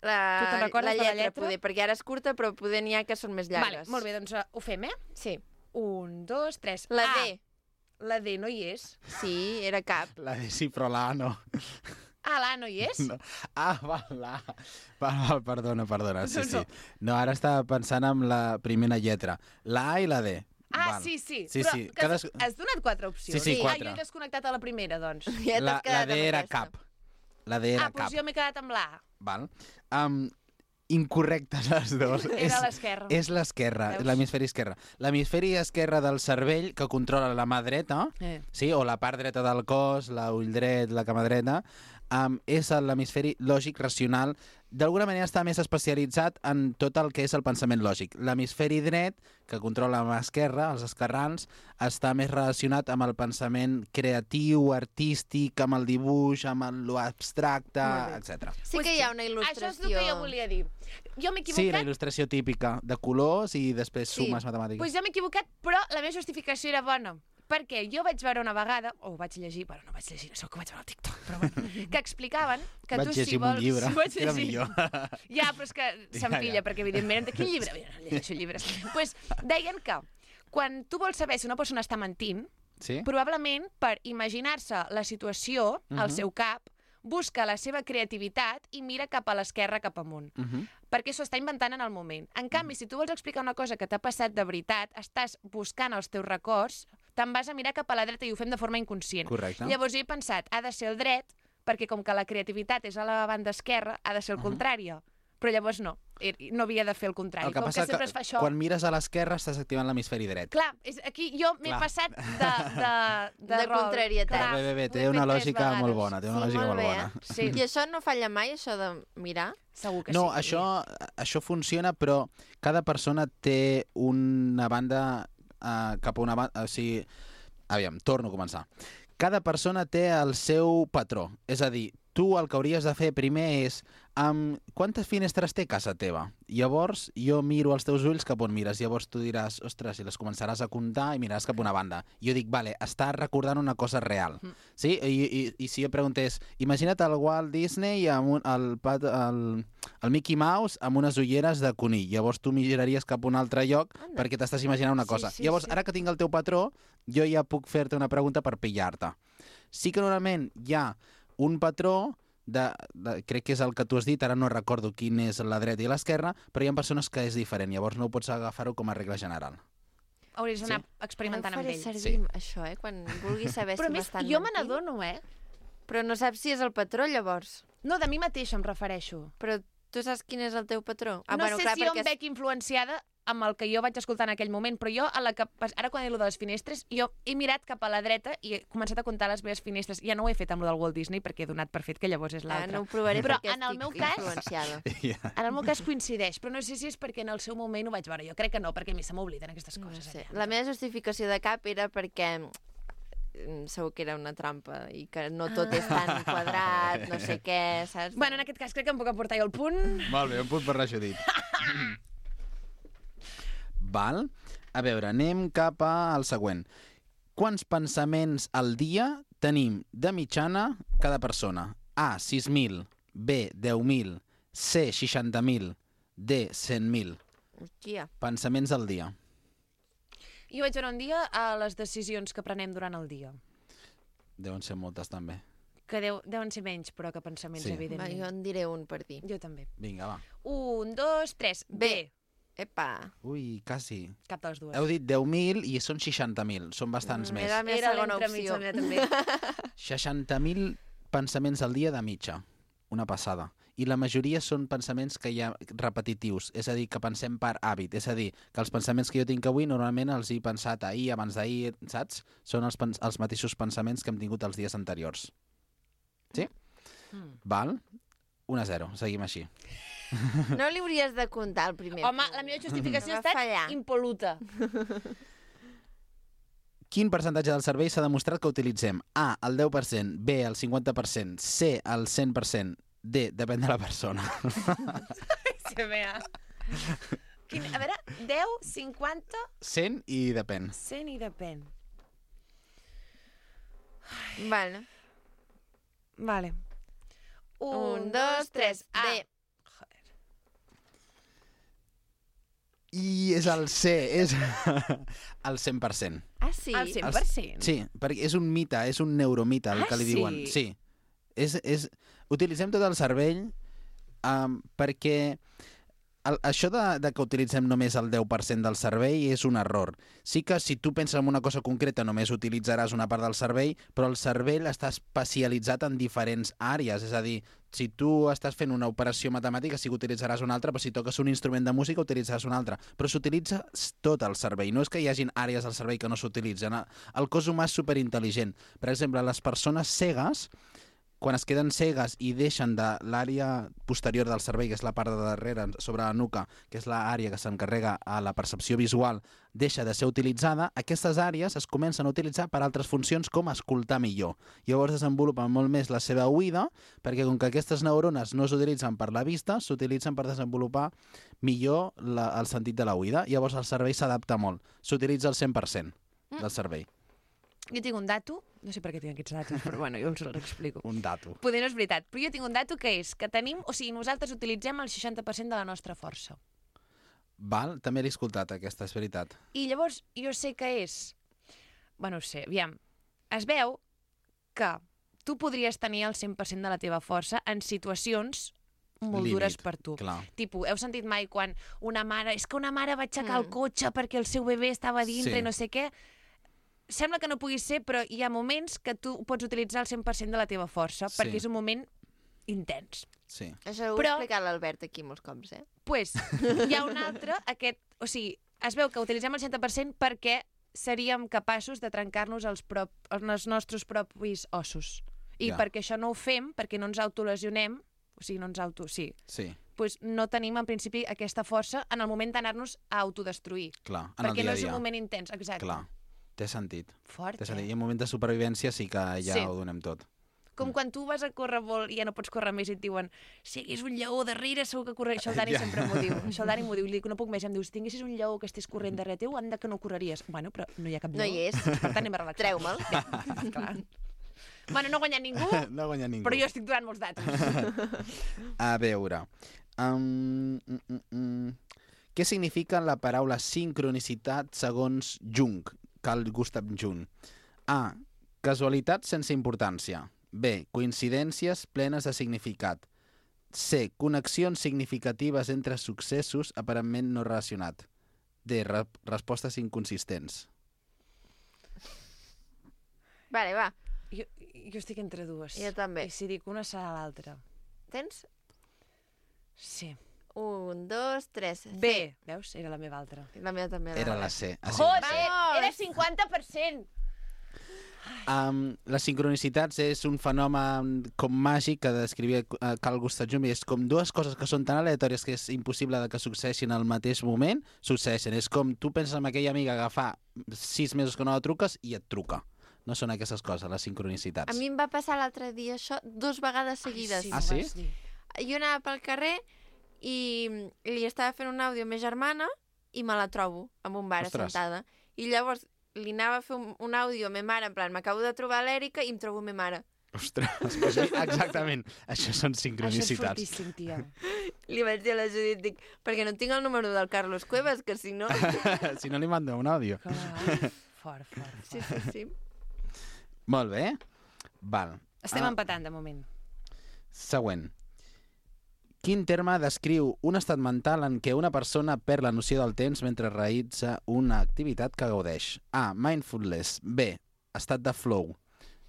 Tu te'n recordes de la lletra? Poder, perquè ara és curta, però poder n'hi ha que són més Vale, llargues. molt bé, doncs ho fem, eh? Sí. 1, 2, 3. La A. D. La D no hi és. Sí, era cap. La D sí, però la A no. Ah, l'A no hi és? No. Ah, val, la A. Val, perdona, sí, No, sí. no. No, ara estava pensant en la primera lletra. La A i la D. Ah, Val. sí. Sí, Però sí. que has donat 4 opcions. Sí, Sí. 4. Ah, jo he desconnectat a la primera, doncs. Ja La t'has quedat D amb era aquesta. cap. La D era Ah, doncs cap. jo m'he quedat amb l'A. Val. Incorrectes les dues. Era l'esquerra. És l'esquerra, Veus? l'hemisferi esquerre. L'hemisferi esquerre del cervell que controla la mà dreta, sí, o la part dreta del cos, l'ull dret, la cama dreta, és l'hemisferi lògic racional. D'alguna manera està més especialitzat en tot el que és el pensament lògic. L'hemisferi dret, que controla la mà esquerra, els esquerrans, està més relacionat amb el pensament creatiu, artístic, amb el dibuix, amb l'abstracte, etc. Sí que hi ha una Això és el il·lustració. que jo volia dir. Jo m'he Sí, equivocat. la il·lustració típica de colors i després Sí. sumes matemàtiques. Doncs jo m'he equivocat, però la meva justificació era bona. Perquè jo vaig veure una vegada, o ho vaig llegir, bueno, no vaig llegir, això que ho vaig veure al TikTok, però bueno, que explicaven que Vaig tu llegir si amb un vols... llibre, Vaig era llegir. millor. Ja, però és que s'empilla, Ja. perquè evidentment... Quin llibre? Mira, no llegeixo llibres. Doncs pues, deien que quan tu vols saber si una persona està mentint, Sí? probablement per imaginar-se la situació al seu cap, busca la seva creativitat i mira cap a l'esquerra, cap amunt. Perquè s'ho està inventant en el moment. En canvi, si tu vols explicar una cosa que t'ha passat de veritat, estàs buscant els teus records, te'n vas a mirar cap a la dreta i ho fem de forma inconscient. Correcte. Llavors jo he pensat, ha de ser el dret, perquè com que la creativitat és a la banda esquerra, ha de ser el contrari. Però llavors no havia de fer el contrari. El que com passa que sempre es fa això... quan mires a l'esquerra estàs activant l'hemisferi dret. Clar, aquí jo m'he passat de rol. contrarietat. Bé, té una lògica molt bona, té una lògica molt bona. Sí. I això no falla mai, això de mirar? Segur que No, sí. això funciona, però cada persona té una banda cap a una banda... O sigui, aviam, torno a començar. Cada persona té el seu patró. És a dir, tu el que hauries de fer primer és quantes finestres té casa teva? Llavors jo miro els teus ulls cap on mires. Llavors tu diràs, ostres, i les començaràs a comptar i miraràs cap a una banda. Jo dic, vale, està recordant una cosa real. Sí? I si jo preguntés, imagina't el Walt Disney amb el Mickey Mouse amb unes ulleres de conill. Llavors tu miraries cap a un altre lloc perquè t'estàs imaginant una cosa. Llavors, ara que tinc el teu patró, jo ja puc fer-te una pregunta per pillar-te. Sí que normalment hi ha un patró crec que és el que tu has dit, ara no recordo quin és la dreta i l'esquerra, però hi ha persones que és diferent, llavors no pots agafar-ho com a regla general. Hauries d'anar experimentant amb faré ell. servir, això, quan vulguis saber Però si a més, m'estan jo me mentint. n'adono, Però no saps si és el patró, llavors. No, de mi mateixa em refereixo. Però tu saps quin és el teu patró? No sé si jo em veig influenciada amb el que jo vaig escoltar en aquell moment, però jo, ara quan he dit de les finestres, jo he mirat cap a la dreta i he començat a comptar les meves finestres. Ja no ho he fet amb el del Walt Disney perquè he donat per fet que llavors és l'altre. No ho provaré però perquè en el meu estic cas, influenciada. En el meu cas coincideix, però no sé si és perquè en el seu moment ho vaig veure. Jo crec que no, perquè a mi se m'obliden aquestes coses. No sé. La meva justificació de cap era perquè segur que era una trampa i que no tot és tan quadrat, no sé què, saps? Bueno, en aquest cas crec que em puc aportar jo el punt. Molt bé, un punt per l'aixudit. Val? A veure, anem cap al següent. Quants pensaments al dia tenim de mitjana cada persona? A, 6.000, B, 10.000, C, 60.000, D, 100.000. Hòstia. Pensaments al dia. Jo vaig veure un dia a les decisions que prenem durant el dia. Deuen ser moltes, també. Que deuen ser menys, però que pensaments, Sí. Va, evidentment. jo en diré un per dir. Jo també. Vinga, va. 1, 2, 3, B. Epa. Ui, quasi. Cap de les dues. Heu dit 10.000 i són 60.000. Són bastants més. Era la meva segona opció. també. 60.000 pensaments al dia de mitja. Una passada. I la majoria són pensaments que hi ha repetitius, és a dir, que pensem per hàbit. És a dir, que els pensaments que jo tinc avui normalment els he pensat ahir, abans d'ahir, saps? Són els mateixos pensaments que hem tingut els dies anteriors. Sí? Val? 1-0. Seguim així. No li hauries de comptar el primer. Home, la meva justificació ha Va fallar. estat impol·luta. Quin percentatge del cervell s'ha demostrat que utilitzem? A, el 10%, B, el 50%, C, el 100%, D, depèn de la persona. Sí, mea. A veure, 10, 50, 100 i depèn. 100 i depèn. Vale. Vale. 1, 2, 3, D. I és el C, és el 100%. Ah, sí? El 100%? Sí, perquè és un mite, és un neuromite el que li diuen. Sí. Utilitzem tot el cervell perquè això de que utilitzem només el 10% del cervell és un error. Sí que si tu penses en una cosa concreta només utilitzaràs una part del cervell, però el cervell està especialitzat en diferents àrees. És a dir, si tu estàs fent una operació matemàtica sí que utilitzaràs una altra, però si toques un instrument de música utilitzaràs una altra. Però s'utilitza tot el cervell. No és que hi hagin àrees del cervell que no s'utilitzen. El cos humà és superintel·ligent. Per exemple, les persones cegues, quan es queden cegues i deixen de l'àrea posterior del cervell, que és la part de darrere, sobre la nuca, que és l'àrea que s'encarrega a la percepció visual, deixa de ser utilitzada, aquestes àrees es comencen a utilitzar per altres funcions com escoltar millor. Llavors desenvolupen molt més la seva oïda, perquè com que aquestes neurones no s'utilitzen per la vista, s'utilitzen per desenvolupar millor el sentit de l'oïda. Llavors el cervell s'adapta molt. S'utilitza el 100% del cervell. Jo tinc un dato, no sé per què tinc aquests datos, però bueno, jo us l'explico. Un dato. Poder no és veritat, però jo tinc un dato que és que tenim, o sigui, nosaltres utilitzem el 60% de la nostra força. Val? També l'he escoltat, aquesta, és veritat. I llavors jo sé que és... Bueno, ho sé, aviam. Es veu que tu podries tenir el 100% de la teva força en situacions molt Límit, dures per tu. clar. Tipo, heu sentit mai quan una mare... És que una mare va aixecar el cotxe perquè el seu bebè estava dintre Sí. i no sé què. Sembla que no pugui ser, però hi ha moments que tu pots utilitzar el 100% de la teva força Sí. perquè és un moment intens. Sí. Això ho Però- ha explicat l'Albert aquí molts cops, Pues, hi ha un altre, o sigui, es veu que utilitzem el 100% perquè seríem capaços de trencar-nos els nostres propis ossos. I Ja. perquè això no ho fem, perquè no ens autolesionem, o sigui, no ens Sí, pues no tenim en principi aquesta força en el moment d'anar-nos a autodestruir. clar, en el Perquè dia no a és un dia. moment intens, exacte. Clar, té sentit. Fort, Té sentit. I eh? en moment de supervivència sí que ja Sí. ho donem tot. Com quan tu vas a córrer molt i ja no pots córrer més i et diuen si hi hagués un lleó darrere segur que correria. Això el Dani Ja. sempre m'ho diu. Això el Dani m'ho diu. Li dic, no puc més. Em diu, si tinguessis un lleó que estigués corrent darrere teu, anda que no correries. Bueno, però no hi ha cap No lleó. hi és. Per tant, anem a relaxar. Treu-me'l. Clar. Bueno, no ha guanyat ningú, No guanya ningú. però jo estic donant molts datos. A veure... Què significa la paraula sincronicitat segons Jung, Carl Gustav Jung? A. Casualitat sense importància. B. Coincidències plenes de significat. C. Connexions significatives entre successos aparentment no relacionats. D. Respostes inconsistents. Vale, va. Jo estic entre dues. Jo també. I si dic una serà l'altra. Tens? Sí. 1, 2, 3. B. Veus? Era la meva altra. La meva també. Era la C. Joder! Era 50%! Les sincronicitats és un fenomen com màgic que descrivia Carl Gustav Jung, i és com dues coses que són tan aleatòries que és impossible de que succeeixin al mateix moment, succeeixen. És com tu penses en aquella amiga que fa 6 mesos que no la truques i et truca. No són aquestes coses, les sincronicitats. A mi em va passar l'altre dia això 2 vegades seguides. Ah, sí? Jo anava pel carrer i li estava fent un àudio a ma germana i me la trobo en un bar Ostres. assentada. I llavors li anava a fer un àudio a ma mare, en plan, m'acabo de trobar l'Èrica i em trobo ma mare. Ostres, pues exactament. Això són Això és sincronicitats. fortíssim, tia. Li vaig dir a la Judit, dic, perquè no tinc el número del Carlos Cuevas, que si no... Si no li manda un àudio. Clar. Fort, fort. Sí, sí, sí. Molt bé. Val. Estem empatant, de moment. Següent. Quin terme descriu un estat mental en què una persona perd la noció del temps mentre realitza una activitat que gaudeix? A. Mindfulness. B. Estat de flow.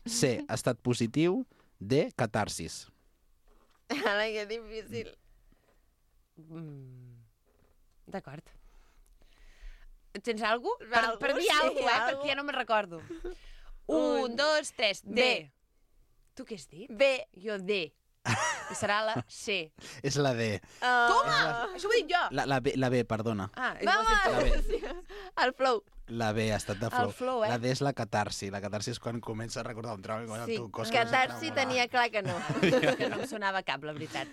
C. Estat positiu. D. Catarsis. Ara, que difícil. D'acord. Tens alguna cosa? Algú, Per dir sí, alguna cosa, algú. perquè ja no me'n recordo. 1, 2, 3. D. D. Tu què has dit? B. Jo D. I serà la C. És la D. Toma! Això ho he dit jo! La B, perdona. Ah, ho has dit tu. La B. Sí. El flow. La B, estat de flow. El flow, eh? La D és la catarsi. La catarsi és quan comença a recordar un trauma. Sí, cos Catarsi tenia clar que no. Que no em sonava cap, la veritat.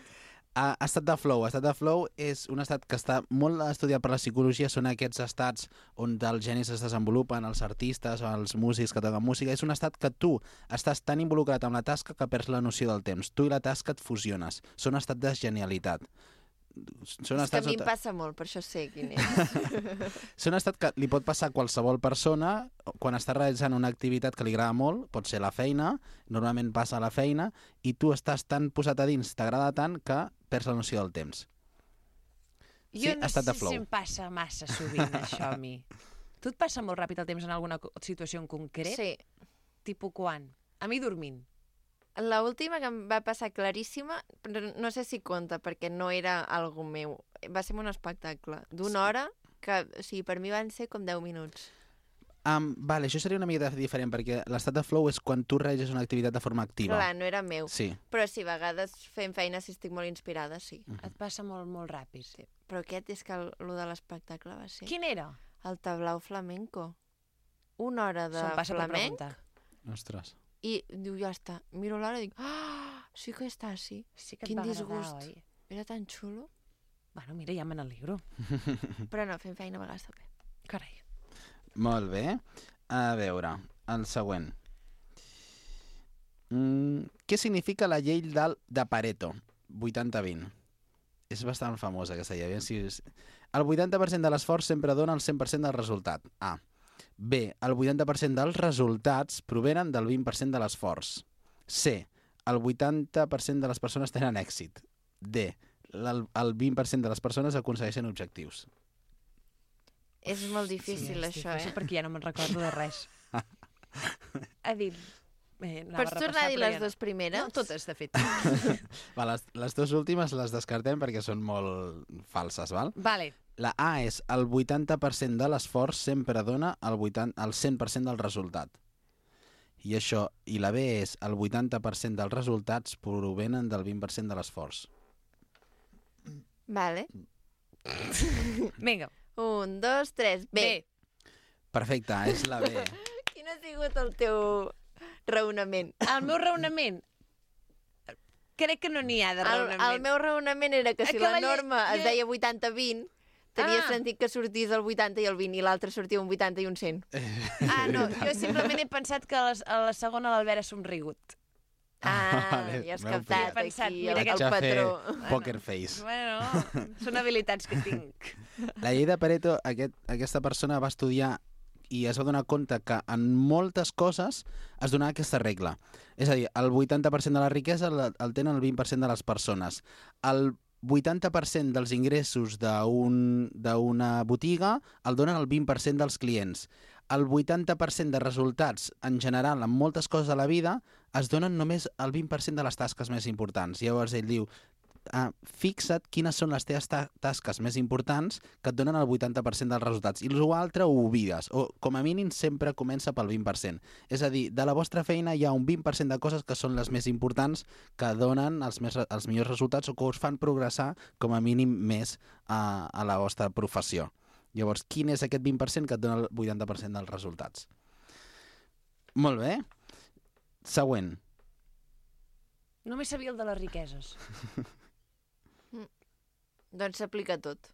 Estat de flow. Estat de flow és un estat que està molt estudiat per la psicologia. Són aquests estats on els genis es desenvolupen, els artistes o els músics que toquen música. És un estat que tu estàs tan involucrat amb la tasca que perds la noció del temps. Tu i la tasca et fusiones. Són estat de genialitat. Són És que a estats mi em on- passa molt, per això sé quin és. Són estat que li pot passar a qualsevol persona quan està realitzant una activitat que li agrada molt, pot ser la feina, normalment passa a la feina, i tu estàs tan posat a dins, t'agrada tant, que perds la noció del temps. Sí, Jo no estat sé de flow. si em passa massa sovint, això, a mi. Tu et passa molt ràpid el temps en alguna situació en concret? Sí. Tipo quan? A mi dormint. La última que em va passar claríssima, però no sé si compta, perquè no era algo meu. Va ser un espectacle d'una hora que, o sigui, per mi van ser com 10 minuts. Vale, això seria una mica diferent, perquè l'estat de flow és quan tu realitzes una activitat de forma activa. Clar, no era meu. Sí. Però sí, a vegades fent feina si estic molt inspirada, sí. Et passa molt, molt ràpid. Sí. Però aquest és que lo de l'espectacle va ser Quin era? el tablau flamenco. Una hora de Se'm passa per flamenc preguntar. Ostres. i diu, ja està. Miro l'hora i dic, sí que està, sí. Sí que et Quin va disgust. agradar, oi? Era tan xulo. Bueno, mira, ja me n'alegro. Però no, fent feina a vegades també. Carai. Molt bé. A veure, el següent. Què significa la llei de Pareto? 80-20. És bastant famosa aquesta idea. El 80% de l'esforç sempre dona el 100% del resultat. A. B. El 80% dels resultats provenen del 20% de l'esforç. C. El 80% de les persones tenen èxit. D. El 20% de les persones aconsegueixen objectius. És molt difícil, això, difícil perquè ja no me'n recordo de res. Ha dit... Pots tornar a dir les dues primeres? No, totes, de fet. Va, les dues últimes les descartem perquè són molt falses, val? Vale. La A és el 80% de l'esforç sempre dona el 100% del resultat. I la B és el 80% dels resultats provenen del 20% de l'esforç. Vale. Vinga. 1, 2, 3, B. Perfecte, és la B. Quin ha sigut el teu raonament? El meu raonament... Crec que no n'hi ha de raonament. El meu raonament era que si Que la norma es deia 80-20, tenia Ah. sentit que sortís el 80 i el 20 i l'altre sortia un 80 i un 100. Ah, no, jo simplement he pensat que a la segona l'Albert ha somrigut. Vale, Ja has m'heu captat pillat. aquí Mira el que patró. Poker face. Bueno, són habilitats que tinc. La llei de Pareto, aquesta persona va estudiar i es va donar compte que en moltes coses es donava aquesta regla. És a dir, el 80% de la riquesa el tenen el 20% de les persones. El 80% dels ingressos d'una botiga el donen el 20% dels clients. El 80% de resultats, en general, en moltes coses de la vida, es donen només el 20% de les tasques més importants. Llavors ell diu, fixa't quines són les teves tasques més importants que et donen el 80% dels resultats. I l'altre ho oblides, o com a mínim sempre comença pel 20%. És a dir, de la vostra feina hi ha un 20% de coses que són les més importants, que donen els millors resultats o que us fan progressar com a mínim més a la vostra professió. Llavors, quin és aquest 20% que et dona el 80% dels resultats? Molt bé. Següent. Només sabia el de les riqueses. Doncs s'aplica tot.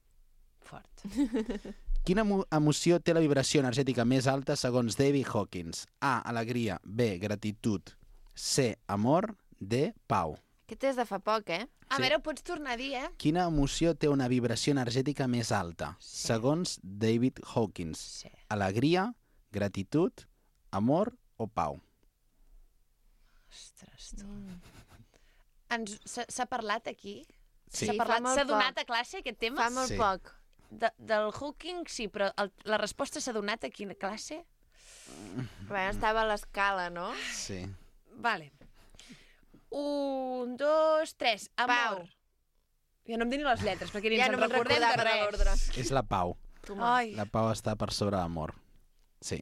Fort. Quina emoció té la vibració energètica més alta segons David Hawkins? A, alegria. B, gratitud. C, amor. D, pau. Aquest és de fa poc, eh? A veure, ho pots tornar a dir, eh? Quina emoció té una vibració energètica més alta? Sí. Segons David Hawkins. Sí. Alegria, gratitud, amor o pau? Ostres, tu. S'ha parlat aquí? Sí. S'ha fa parlat, molt s'ha donat poc. a classe aquest tema? Fa molt Sí. poc. Del Hawking sí, però la resposta s'ha donat aquí a classe? Bueno, estava a l'escala, no? Sí. Vale. 1, 2, 3. Amor. Pau. Ja no em dic ni les lletres, perquè ni Ja ens no en me'n recordem de recordava de l'ordre. res. És la pau. Ai. La pau està per sobre l'amor. Sí.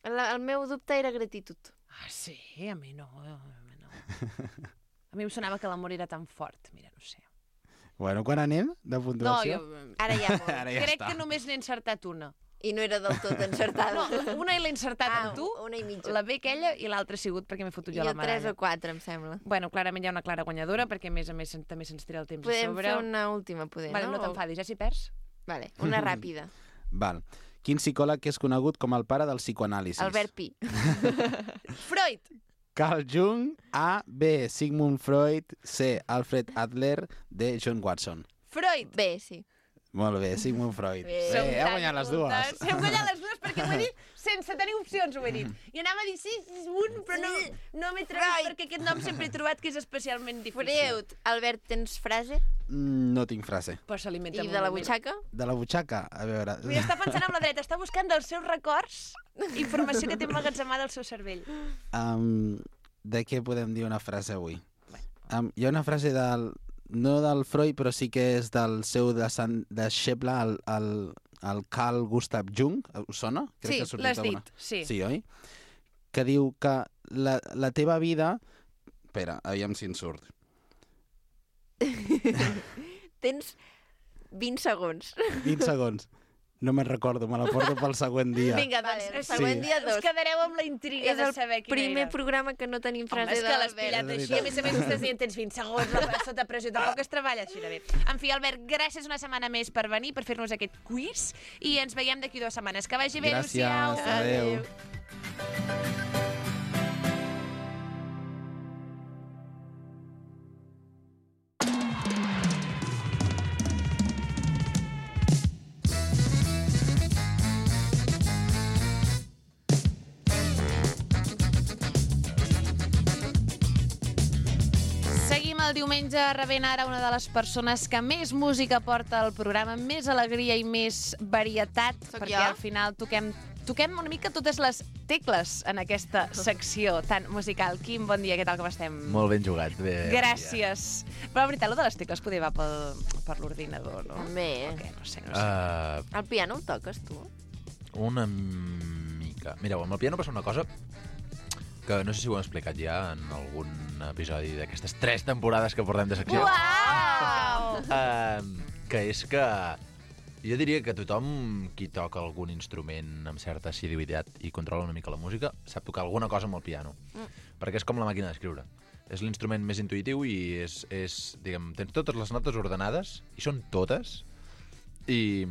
El meu dubte era gratitud. Ah, sí? A mi no. A mi em sonava que l'amor era tan fort. Mira, no sé. Bueno, quan anem de No, puntuació? jo Ara ja molt. Ara ja crec està. que només n'he encertat una. I no era del tot encertada. No, una l'he encertat amb tu, una i mitja. la B aquella, i l'altra ha sigut perquè m'he fotut I jo la el 3 medalla. o 4, em sembla. Bueno, clarament hi ha una clara guanyadora, perquè a més també se'ns tira el temps a Podem sobre. fer una última, poder, Vale, no no? t'enfadis, ja si perds. Vale, una ràpida. Val. Quin psicòleg és conegut com el pare del psicoanàlisis? Albert Pi. Freud! Carl Jung, A, B, Sigmund Freud, C, Alfred Adler, D, John Watson. Freud! Bé, sí. Molt bé, Sigmund Freud. Bé. Som He tan guanyat les dues. cultes. Hem guanyat les dues perquè ho he dit sense tenir opcions, ho he dit. I anava a dir sí, un, però no m'he trobat Freud. perquè aquest nom sempre he trobat que és especialment difícil. Freud. Albert, tens frase? No tinc frase. Però s'alimenta I molt de la bé. butxaca? De la butxaca? A veure... Vull estar pensant amb la dreta, està buscant dels seus records informació que té emmagatzemada al seu cervell. De què podem dir una frase avui? Hi ha una frase no del Freud, però sí que és del seu deixeble, el Carl Gustav Jung. Us sona? Sí, que ha sortit l'has alguna- dit, sí. Sí, oi? Que diu que la teva vida... Espera, aviam si en surt. Tens 20 segons. 20 segons. No me'n recordo, me la porto pel següent dia. Vinga, Vale, doncs, el següent dia us 2. quedareu amb la intriga És de el saber quina primer era. programa que no tenim Home, frase és que l'has d'Albert. pillat És així. veritat. A més a més, estàs dient tens 20 segons sota pressió. Tampoc es treballa així de bé. En fi, Albert, gràcies una setmana més per venir, per fer-nos aquest quiz, i ens veiem d'aquí 2 setmanes. Que vagi bé, Gràcies, adéu-siau. adéu. el diumenge rebent ara una de les persones que més música porta al programa, més alegria i més varietat, perquè al final toquem una mica totes les tecles en aquesta secció tan musical. Quim, bon dia, què tal, com estem? Molt ben jugat. Bé, gràcies. Però la veritat, lo de les tecles poder va per l'ordinador, no? Bé. Okay, no sé. El piano el toques, tu? Una mica. Mireu, amb el piano passa una cosa que no sé si ho hem explicat ja en algun episodi d'aquestes 3 temporades que portem de secció. Uau! Que és que jo diria que tothom qui toca algun instrument amb certa assiduïtat i controla una mica la música sap tocar alguna cosa amb el piano. Perquè és com la màquina d'escriure. És l'instrument més intuïtiu i és diguem, tens totes les notes ordenades, i són totes, i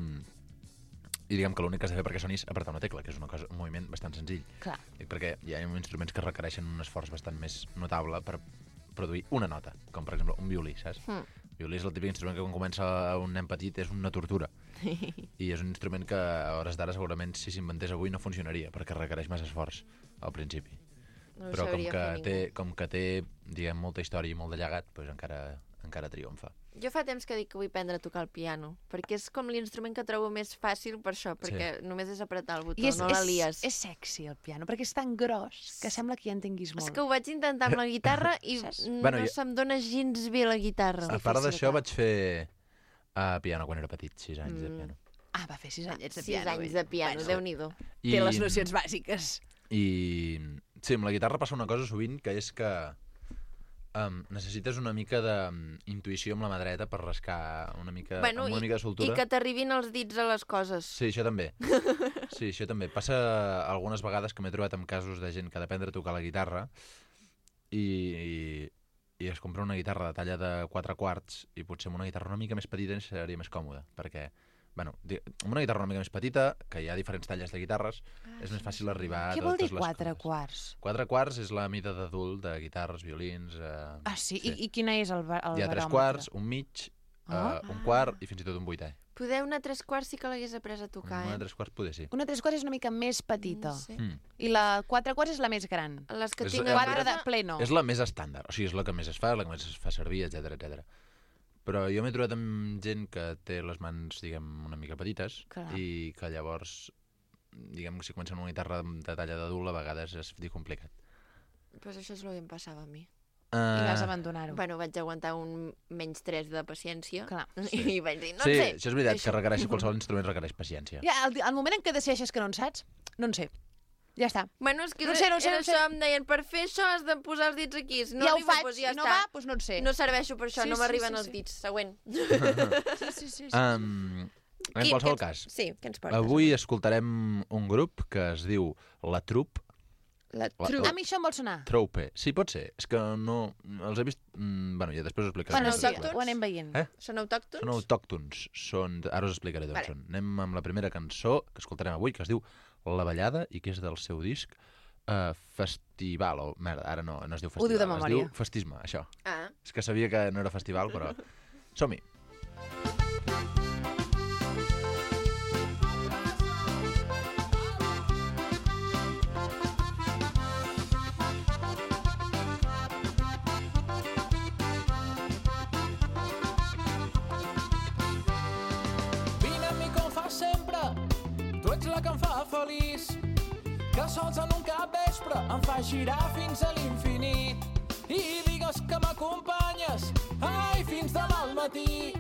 diguem que l'únic que has de fer perquè soni és apretar una tecla, que és un moviment bastant senzill. Clar. Perquè hi ha instruments que requereixen un esforç bastant més notable per produir una nota, com per exemple un violí, saps? El violí és el típic instrument que quan comença un nen petit és una tortura. I és un instrument que a hores d'ara segurament si s'inventés avui no funcionaria, perquè requereix més esforç al principi. No Però com que té diguem, molta història i molt de llegat, doncs encara triomfa. Jo fa temps que dic que vull aprendre a tocar el piano, perquè és com l'instrument que trobo més fàcil per això, perquè només és apretar el botó, no la lies. És sexy el piano, perquè és tan gros que sembla que ja entenguis molt. És que ho vaig intentar amb la guitarra i no se'm dona gens bé la guitarra. A part d'això vaig fer piano quan era petit, 6 anys de piano. Ah, va fer 6 anyets de piano. 6 anys de piano, Déu-n'hi-do. Té les nocions bàsiques. I sí, amb la guitarra passa una cosa sovint, que és que necessites una mica d'intuïció amb la mà dreta per rascar una mica, amb una mica de soltura. I que t'arribin els dits a les coses. Sí, això també. Sí, això també. Passa algunes vegades que m'he trobat amb casos de gent que ha d'aprendre a tocar la guitarra i es compra una guitarra de talla de 4 quarts i potser amb una guitarra una mica més petita seria més còmode, perquè amb una guitarra una mica més petita, que hi ha diferents talles de guitarres, és més fàcil arribar a totes les coses. Què vol dir 4 quarts? 4 quarts és la mida d'adult de guitarres, violins... Sí? I quina és el baròmetre? Hi ha 3 quarts, un mig, un quart i fins i tot un vuitè. Poder una 3 quarts sí que l'hagués après a tocar, Una 3 quarts poder sí. Una 3 quarts és una mica més petita. Sí. I la 4 quarts és la més gran. Les que És- tinc és- a 4 de casa... pleno. És la més estàndard, o sigui, és la que més es fa, la que més es fa servir, etc. Però jo m'he trobat amb gent que té les mans, diguem, una mica petites. Clar. I que llavors, diguem, si comencen una guitarra de talla d'adult, a vegades és complicat. Pues això és el que em passava a mi. I vas abandonar-ho. Bueno, vaig aguantar un menys 3 de paciència. Clar. I vaig dir, no sí, sé. això és veritat, que requereix, qualsevol instrument requereix paciència. Ja, el moment en què decideixes que no en saps, no en sé. Ja està. Bueno, és que No sé. això em deien, per fer això has de posar els dits aquí. Si no ja ho arriba, faig, doncs ja no està. va, doncs no en sé. No serveixo per això, Sí, no m'arriben sí, els dits. Següent. Sí. En qualsevol cas, Sí, què ens portes? avui escoltarem un grup que es diu La Troupe. La A mi això em vol sonar. Troupe. Sí, pot ser. És que no... Els he vist... Bueno, ja després ho explicaré. Bueno, Són sí, autòctons? ho anem veient. Són autòctons? Són autòctons. Ara us explicaré d'on Vale. són. Anem amb la primera cançó que escoltarem avui, que es diu La Ballada, i que és del seu disc Festival. O, merda, ara no es diu Festival. Ho diu de memòria. Es diu Festisme, això. Ah, És que sabia que no era festival, però... Som-hi. Vine amb mi com fa sempre, tu ets la que em fa feliç, que sols en un capvespre em fa girar fins a l'infinit. I digues que m'acompanyes, ai, fins demà al matí,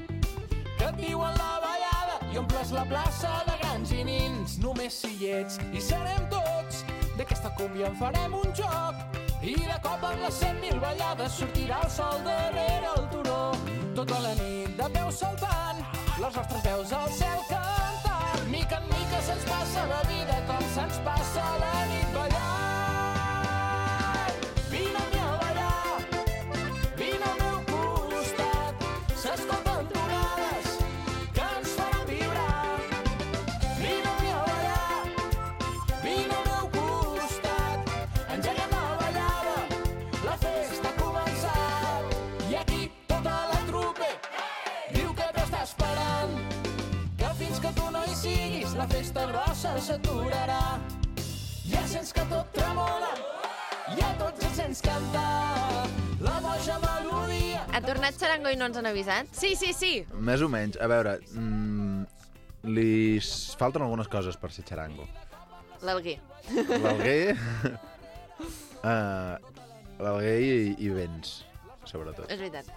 que et diuen la ballada i omples la plaça de grans i nins. Només si hi ets i serem tots, d'aquesta cúmbia en farem un joc, i de cop en les 100.000 ballades sortirà el sol darrere el turó. Tota la nit de peu saltant, les nostres veus al cel cantant. Mica en mica se'ns passa la vida com se'ns passa la nit ballant. Vine amb mi a ballar, vine al meu costat, s'escolten tonades que ens faran vibrar. Vine amb mi a ballar, vine al meu costat, engeguem la ballada, la festa ha començat. I aquí tota la trupe diu que t'està esperant, que fins que tu no hi siguis la festa grossa s'aturarà. Ja sents que tot tremola i a tots els sents cantar la boja melodia. Ha tornat Charango i no ens han avisat? Sí, sí, sí. Més o menys. A veure, li falten algunes coses per ser xarango. L'Alguer. L'Alguer... L'Alguer i vents, sobretot. És veritat.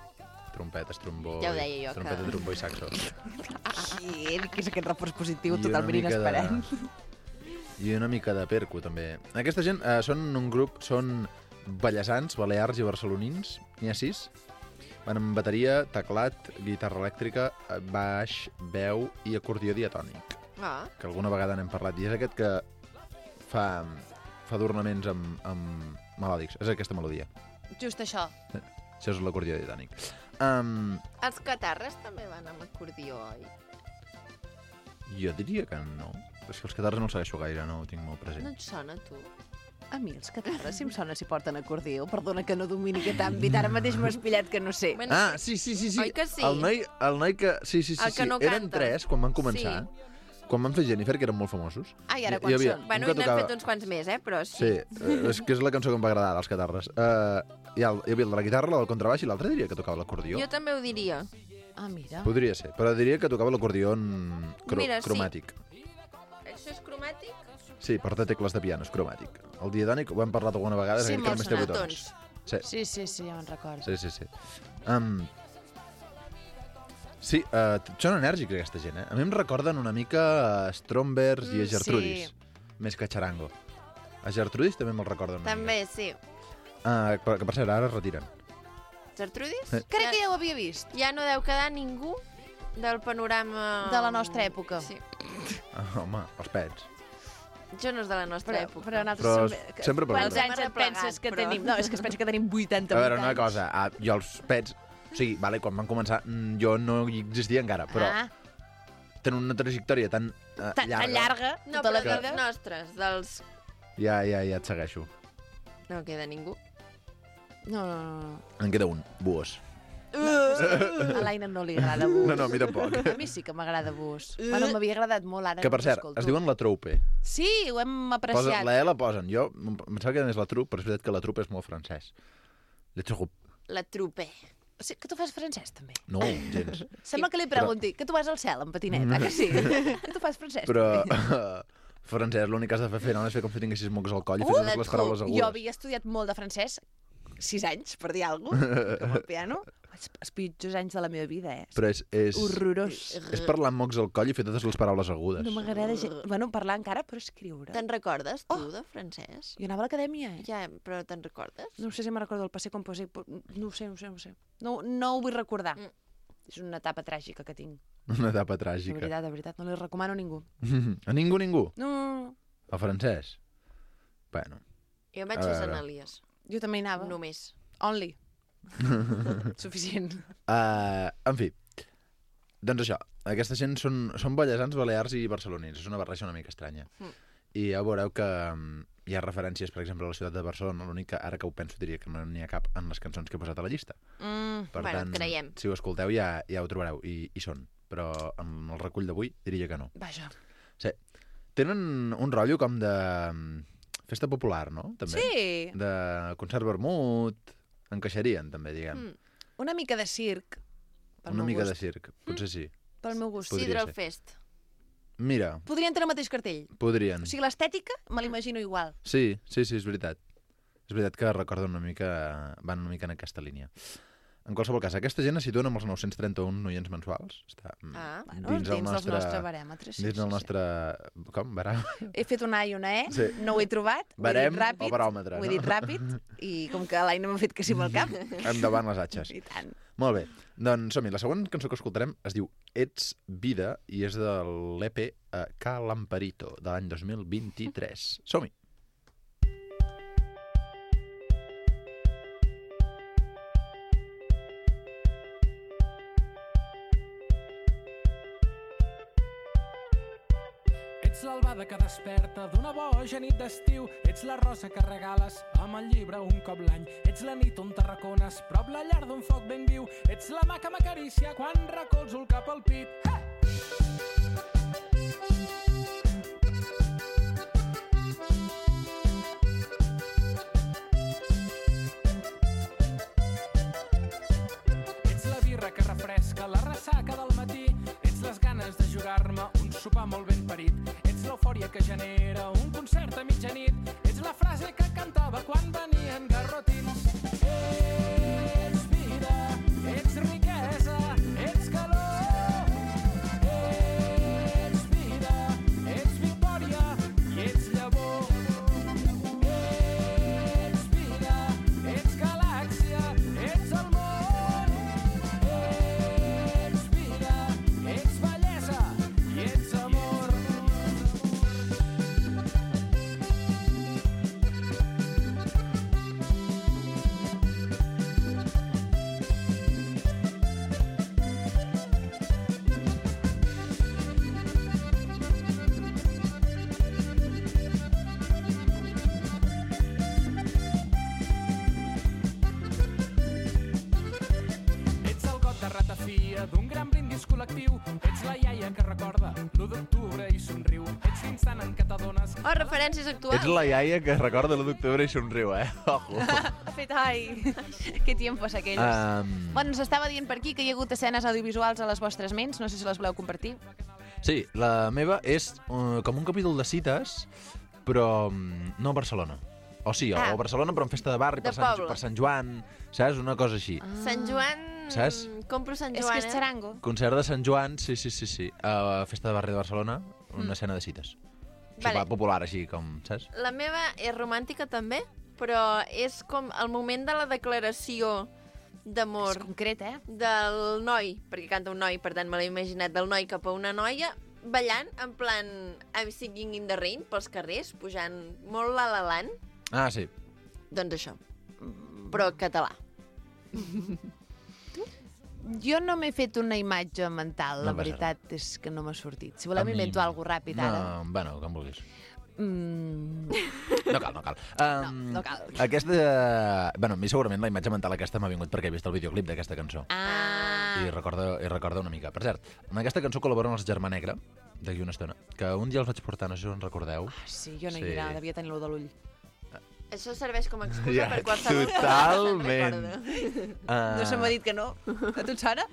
Trompetes, trombó... Ja ho deia jo, Trompeta, que- trombó i saxo. Que és aquest reforç positiu I totalment una mica inesperat. I una mica de perco, també. Aquesta gent són un grup, són ballesans, balears i barcelonins, n'hi ha 6. Van amb bateria, teclat, guitarra elèctrica, baix, veu i acordió diatònic, Ah, que alguna vegada n'hem parlat, i és aquest que fa adornaments amb melòdics. És aquesta melodia. Just això. Això és l'acordió diatònic. els catarres també van amb acordió, oi? Jo diria que no. És que els catarres no els segueixo gaire, no ho tinc molt present. No et sona, tu? A mi els catarres, si em sona si porten acordió. Perdona que no domini aquest àmbit. Ara mateix m'ho has pillat que no sé. Bueno, Ah, sí. Oi que sí? El noi que... Sí. El que no Eren canta. 3 quan van començar. Quan van fer Jennifer, que eren molt famosos. Ai, ara Hi quan havia són? un Bueno, que i n'hem tocava- fet uns quants més, però sí. Sí, és que és la cançó que em va agradar, dels catarres. Hi havia el de la guitarra, el del contrabaix, i l'altre diria que tocava l'acordió. Jo també ho diria. Ah, mira. Podria ser, però diria que tocava l'acordió Mira, sí. cromàtic. Això és cromàtic? Sí, porta tecles de piano, és cromàtic. El diatònic ho hem parlat alguna vegada, Sí, és aquell que molts només té botons. botons. Sí, ja me'n recordo. Sí. Sí, són enèrgics aquesta gent, eh? A mi em recorden una mica a Strombers i a Gertrudis, més que a Charango. A Gertrudis també me'l recorden una També, sí. mica. Que per cert, ara es retiren. Gertrudis? Crec que ja ho havia vist. Ja no deu quedar ningú del panorama... De la nostra època. Sí. Home, els pets. Jo no és de la nostra època. Però nosaltres Però sempre Quants pregunto. anys et penses que Però- tenim? No, és que es pensa que tenim 80 A veure, una anys. cosa, jo els pets... O sigui, vale, quan van començar, jo no hi existia encara, però Ah, tenen una trajectòria tan tan llarga, No, tota però la dels vida. nostres, dels... Ja et segueixo. No queda ningú. No. En queda un, Buos. A l'Aina no li agrada Bus. No, a mi tampoc. A mi sí que m'agrada Bus. Bueno, m'havia agradat molt, ara Que, per no cert, l'escolto. es diuen la Troupe. Sí, ho hem Posen, apreciat. la E la posen. Jo em pensava que és la Troupe, però és veritat que la Troupe és molt francès. Le Troupe. La trupe. Sí, que tu fas francès, també. No, gens. Sembla que li pregunti, que tu vas al cel en patinet, que sí? Que tu fas francès, Però també. francès, l'únic que has de fer no és fer com si tinguessis mocs al coll i la fessis les paraules Jo agudes. havia estudiat molt de francès, 6 anys, per dir alguna cosa, com el piano. Els pitjors anys de la meva vida, Però és Horrorós. parlar amb mocs al coll i fer totes les paraules agudes. No m'agrada gens... Bueno, parlar encara, però escriure. Te'n recordes, tu, de francès? Jo anava a l'acadèmia, Ja, però te'n recordes? No sé si me'n recordo el passé composé. No ho sé. No ho vull recordar. És una etapa tràgica que tinc. Una etapa De tràgica. veritat. No li recomano a ningú. A ningú? No. El francès? Bueno. Jo vaig A a veure. Sant Elies. Jo també hi anava. Només. Only. Suficient. En fi, doncs això, aquesta gent són ballesans, balears i barcelonins, és una barreja una mica estranya. I ja veureu que hi ha referències, per exemple, a la ciutat de Barcelona, l'únic que ara que ho penso diria que no n'hi ha cap en les cançons que he posat a la llista. Per Bueno, tant, creiem. si ho escolteu ja ho trobareu, i són. Però amb el recull d'avui diria que no. Vaja. Sí. Tenen un rotllo com de festa popular, no? També. Sí. De concert vermut, encaixarien també, diguem. Una mica de circ. Pel Una meu mica gust. de circ, potser sí. Pel meu gust. Podria Sidral ser. Fest. Mira, Podrien tenir el mateix cartell. podrien. O sigui, l'estètica me l'imagino igual. Sí, és veritat. És veritat que recordo una mica... Van una mica en aquesta línia. En qualsevol cas, aquesta gent es situen amb els 931 noients mensuals. Està Bueno, dins dels nostres barèmetres. Dins del nostre... Com? Barà? He fet una A i una E, Sí. no ho he trobat, Barem ho he dit ràpid, o baròmetre, ho he no? dit ràpid, i com que l'Aina m'ha fet que sí amb el cap, Endavant les atxes. i tant. Molt bé. Doncs som-hi. La següent cançó que escoltarem es diu Ets vida i és de l'EP Calamparito de l'any 2023. Som-hi. Ets l'albada que desperta d'una boja nit d'estiu. Ets la rosa que regales amb el llibre un cop l'any. Ets la nit on t'arracones prop la llar d'un foc ben viu. Ets la mà que m'acaricia quan recolzo el cap al pit. Hey! sopar molt ben parit. Ets l'eufòria que genera un concert a mitjanit. Ets la frase que cantava quan venien garrotins. Ets vida, ets riquesa, ets calor. Ets vida, ets victòria i ets llavor. Ets vida, ets galàxia, ets el món. Ets vida, ets bellesa i ets amor. Ets el got de ratafia d'un gran brindis col·lectiu. Ets la iaia que recorda l'1 d'octubre i somriu. Ets l'instant en què t'adones. Oh, referències actuals. Ets la iaia que recorda l'1 d'octubre i somriu, Ojo. Ha fet, ai, que tiempos aquells. Bueno, ens estava dient per aquí que hi ha hagut escenes audiovisuals a les vostres ments, no sé si les voleu compartir. Sí, la meva és com un capítol de cites, però no a Barcelona. O sí, o a Barcelona, però en festa de barri, De poble. per Sant Joan, saps? Una cosa així. Sant Joan... Saps? Compro Sant És Joan, que és xarango. Concert de Sant Joan, sí. A festa de barri de Barcelona, una escena de cites. Vale. Sopar popular, així com, saps? La meva és romàntica també, però és com el moment de la declaració d'amor És concret, del noi, perquè canta un noi, per tant me l'he imaginat, del noi cap a una noia, ballant, en plan I'm Singing in the Rain, pels carrers, pujant molt la-la-land. Ah, sí. Doncs això, però català. Jo no m'he fet una imatge mental, No la passa veritat és que no m'ha sortit. Si voleu A mi- m'invento alguna ràpid ara. No, bueno, com vulguis. Mm, No cal. no cal. Aquesta... Bueno, a mi segurament la imatge mental aquesta m'ha vingut perquè he vist el videoclip d'aquesta cançó. I recorda una mica. Per cert, en aquesta cançó col·laboren els Germà Negra, d'aquí una estona, que un dia els vaig portar, no sé si us en recordeu. sí, jo no Sí. hi era, devia tenir-lo de l'ull. Això serveix com a excusa Ja, per qualsevol cosa. totalment. Recorda. No se m'ha dit que no. A tu et sona?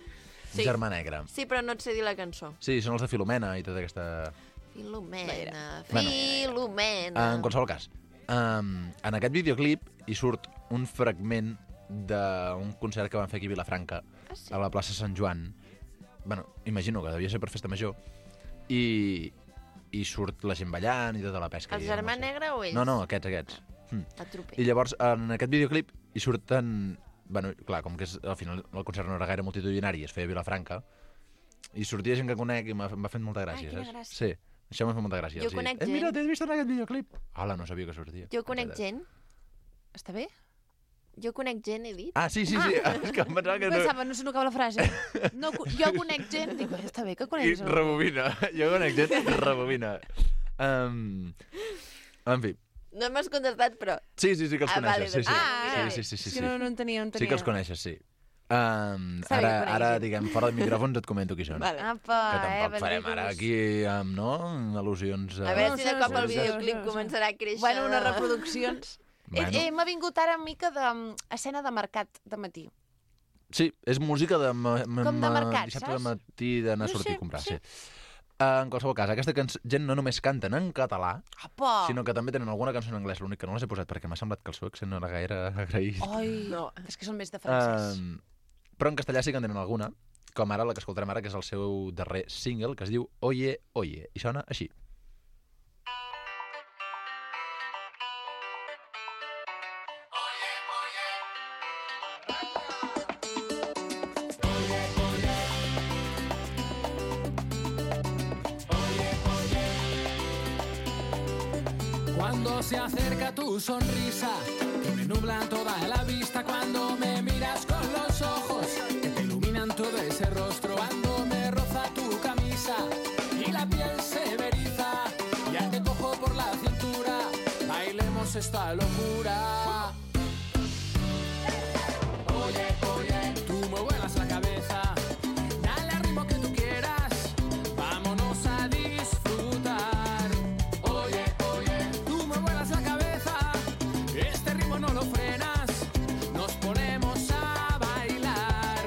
Sí. Germà Negra. Sí, però no et sé dir la cançó. Sí, són els de Filomena i tota aquesta... Filomena, Bueno. Filomena. En qualsevol cas, en aquest videoclip hi surt un fragment d'un concert que van fer aquí a Vilafranca, sí? a la plaça Sant Joan. Bueno, imagino que devia ser per festa major. I surt la gent ballant i tota la pesca. El i germà no sé. negre o ells? No, aquests. Atropell. I llavors, en aquest videoclip, hi surten... Bueno, clar, com que al final el concert no era gaire multitudinari, es feia a Vilafranca, i sortia gent que conec i m'ha fet molta gràcia, quina saps? gràcia. Sí, això m'ha fet molta gràcia. Jo Els dic, conec gent. Mira, t'he vist en aquest videoclip. Hola, no sabia que sortia. Jo conec gent. Està bé? Jo conec gent, he dit. Ah, sí. És que em pensava que no... Pensava, no se n'acaba la frase. No, jo conec gent. Dic, està bé que I coneguis algú. rebobina. Jo conec gent, rebobina. En fi. No m'has contestat, però... Sí, que els vale, coneixes. doncs Sí. És que no entenia. Sí que els coneixes, sí. Està bé que Ara, coneguis. diguem, fora de micròfons et comento qui són. Vale. Apa, Que tampoc farem benvinguts. ara aquí amb, no, al·lusions... A veure No, si de sí, cop sí, el sí, videoclip sí. començarà a créixer. Bueno, unes reproduccions. Bueno. M'ha vingut ara una mica d'escena de mercat de matí. Sí, és música de... Com de mercat, dissabte saps? de matí d'anar a No sortir sé, a comprar, sí. sí. En qualsevol cas, aquesta gent no només canten en català, Apa! sinó que també tenen alguna cançó en anglès. L'únic que no les he posat perquè m'ha semblat que el seu accent no era gaire agraït. Ai, No. és que són més de francès. Però en castellà sí que en tenen alguna, com ara la que escoltarem ara, que és el seu darrer single, que es diu Oye, Oye, i sona així. Cuando se acerca tu sonrisa, que me nubla toda la vista. Cuando me miras con los ojos, que te iluminan todo ese rostro. Cuando me roza tu camisa y la piel se me eriza. Ya te cojo por la cintura, bailemos esta locura. Oye, oye, tú me vuelas la cabeza. Dale al ritmo que tú quieras, vámonos a disfrutar. Oye, oye, tú me vuelas la cabeza. Este ritmo no lo frenas, nos ponemos a bailar.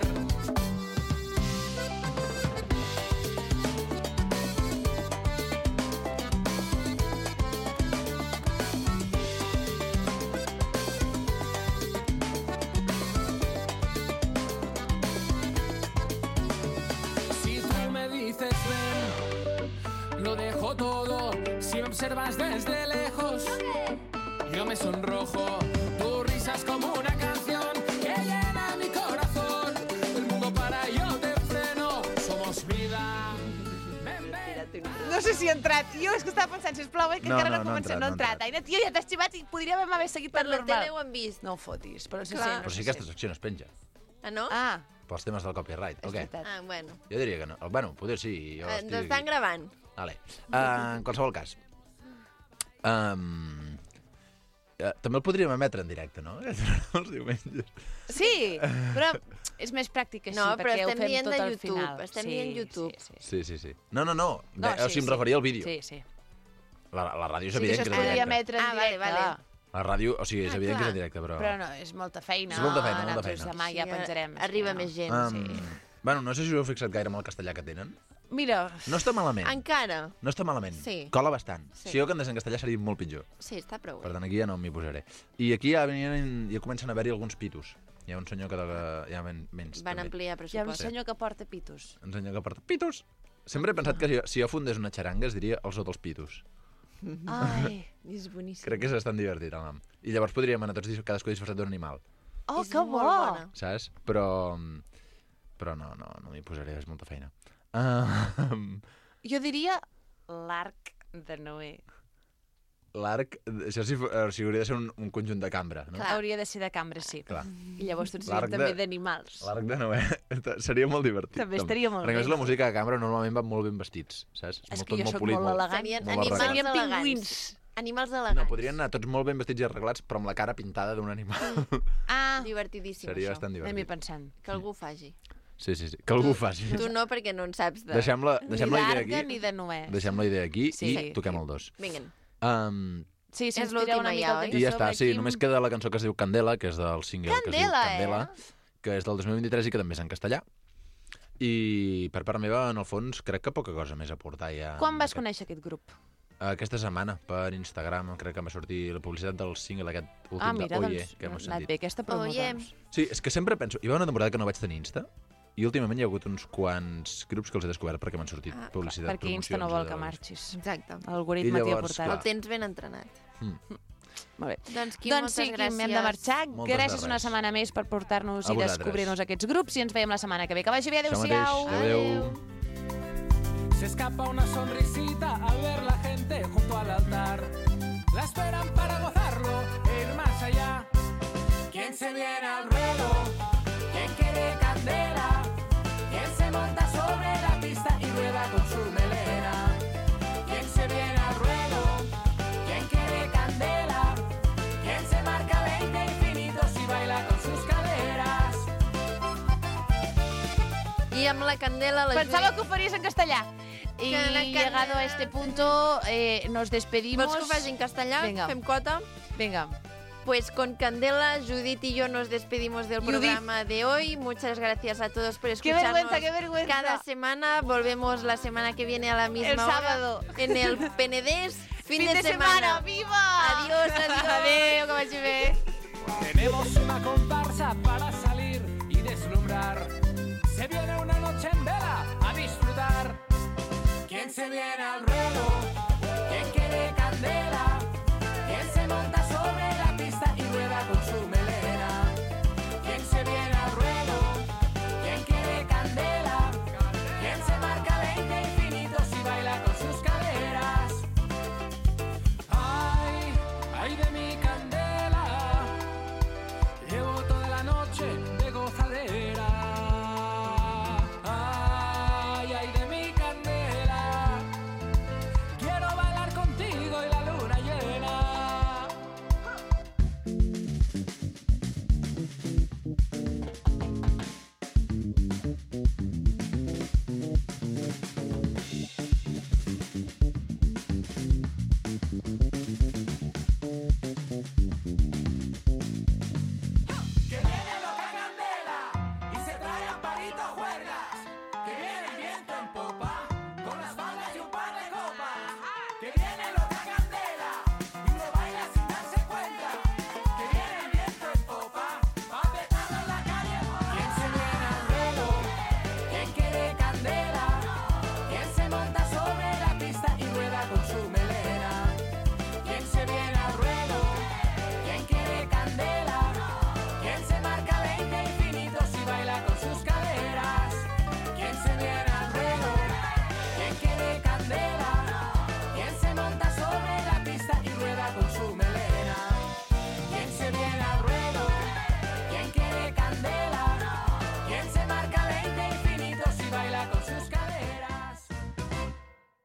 lo dejo todo. Si me observas desde lejos, yo me sonrojo. Tu risa es como una canción que llena mi corazón. El mundo para, yo te freno. Somos vida. No sé si ha entrat. Jo és que estava pensant, sisplau, que No, encara no, no no ha comencem. entrat, No ha no ha entrat. Aina, tio, ja t'has xivat i podríem haver seguit Per per la normal. tele ho han vist. No ho fotis, però sí, Clar. Però sí que aquesta secció no es penja, Ah, no? Ah, pels temes del copyright, és o què? veritat. Ah, bueno. Jo diria que no. Bueno, poder sí. Jo Ens estan gravant. Vale. En qualsevol cas. També el podríem emetre en directe, no? Els diumenges. Sí, però és més pràctic així, No, però perquè ho estem fem dient tot de al YouTube, final. estem dient YouTube. Sí. No. No, O sigui, em referia al vídeo. Sí. La ràdio és Sí, que evident això que es és en podria directe. emetre en Ah, vale, directe. vale. La ràdio, o sigui, és evident que és clar. en directe, però... Però no, és molta feina. És molta feina, molta Nosaltres feina. demà ja penjarem. Arriba sí, més gent. Um, Bueno, no sé si us heu fixat gaire amb el castellà que tenen. Mira, No està malament. Encara. No està malament. Sí. Cola bastant. Sí. Si jo cantés en castellà seria molt pitjor. Sí, està prou Per bé. tant, aquí ja no m'hi posaré. I aquí ja comencen a haver-hi alguns pitos. Hi ha un senyor que ja menys, Van també. ampliar hi ha un pressupost. senyor que porta pitos. Un senyor que porta pitos. Sempre he pensat que si jo fundés una xaranga es diria el zoo dels pitos. Ai, És boníssim. Crec que és bastant divertit, el nom. I llavors podríem anar tots cadascú disfressat d'un animal, oh, És que molt bo! bona. saps? Però no m'hi posaré, és molta feina. Jo diria l'arc de Noé. L'arc, això sí, hauria de ser un conjunt de cambra, no? Clar. Hauria de ser de cambra, sí. Clar. I llavors tots L'arc serien també de- d'animals. L'arc de Noé seria molt divertit. També estaria molt Perquè a més bé. la música de cambra normalment van molt ben vestits, saps? És Tot que jo molt sóc polit, molt elegant. Serien molt animals arreglat. Serien elegants. pingüins. Animals elegants. No, podrien anar tots molt ben vestits i arreglats, però amb la cara pintada d'un animal. Ah, Divertidíssim, Seria això. bastant anem-hi divertit. pensant. Que algú ho faci. Sí. Que algú ho faci. Tu no, perquè no en saps de... Deixem la Ni idea d'arca aquí. ni de Noé. Deixem la idea aquí Sí. i toquem el dos. Vinguen. Sí, si És ens tireu l'última una mica ja, el oi? temps I ja a sobre, està, sí, Quim. només queda la cançó que es diu Candela, que és del single que es diu Candela, Candela, que és del 2023 i que també és en castellà. I per part meva, en el fons, crec que poca cosa més a aportar ja. Quan vas conèixer aquest grup? Aquesta setmana, per Instagram, crec que em va sortir la publicitat del single aquest últim Ah, mira, de Oye, doncs que hem ha anat sentit. bé aquesta promo, Oye. doncs. Sí, és que sempre penso... Hi va una temporada que no vaig tenir Insta i últimament hi ha hagut uns quants grups que els he descobert perquè m'han sortit publicitat, Perquè Insta no vol que marxis. Exacte. L'algoritme I t'hi ha llavors, portat. clar. El tens ben entrenat. Molt bé. Doncs, Quim, Doncs sí, moltes gràcies. Quim, hem de marxar. Moltes Gràcies de una res. setmana més per portar-nos A i vosaltres. descobrir-nos aquests grups i ens veiem la setmana que ve. Que vagi bé, Això adéu-siau. mateix. Adéu. Se escapa una sonrisita al ver la gente junto al altar. La esperan para gozarlo e ir más allá. ¿Quién se viene al ruedo? ¿Quién quiere candela? ¿Quién se monta sobre la pista y rueda con su melena? ¿Quién se viene al ruedo? ¿Quién quiere candela? ¿Quién se marca 20 infinitos y baila con sus caderas? I amb la Candela... La Pensaba que ho faries en castellà. Y Que la llegado a este punto, nos despedimos. Vols que ho faci en castellà? Venga. Fem quota? Venga. Pues con Candela, Judith y yo nos despedimos del Judith. programa de hoy. Muchas gracias a todos por Qué escucharnos vergüenza, qué vergüenza. cada semana. Volvemos la semana que viene a la misma El hora sábado. en el Penedés. Fin de semana. ¡Viva! Adiós, adiós. Adeu, que vagi bé. Tenemos una comparsa para salir y deslumbrar. Se viene una noche en vela a disfrutar. ¿Quién se viene al ruedo?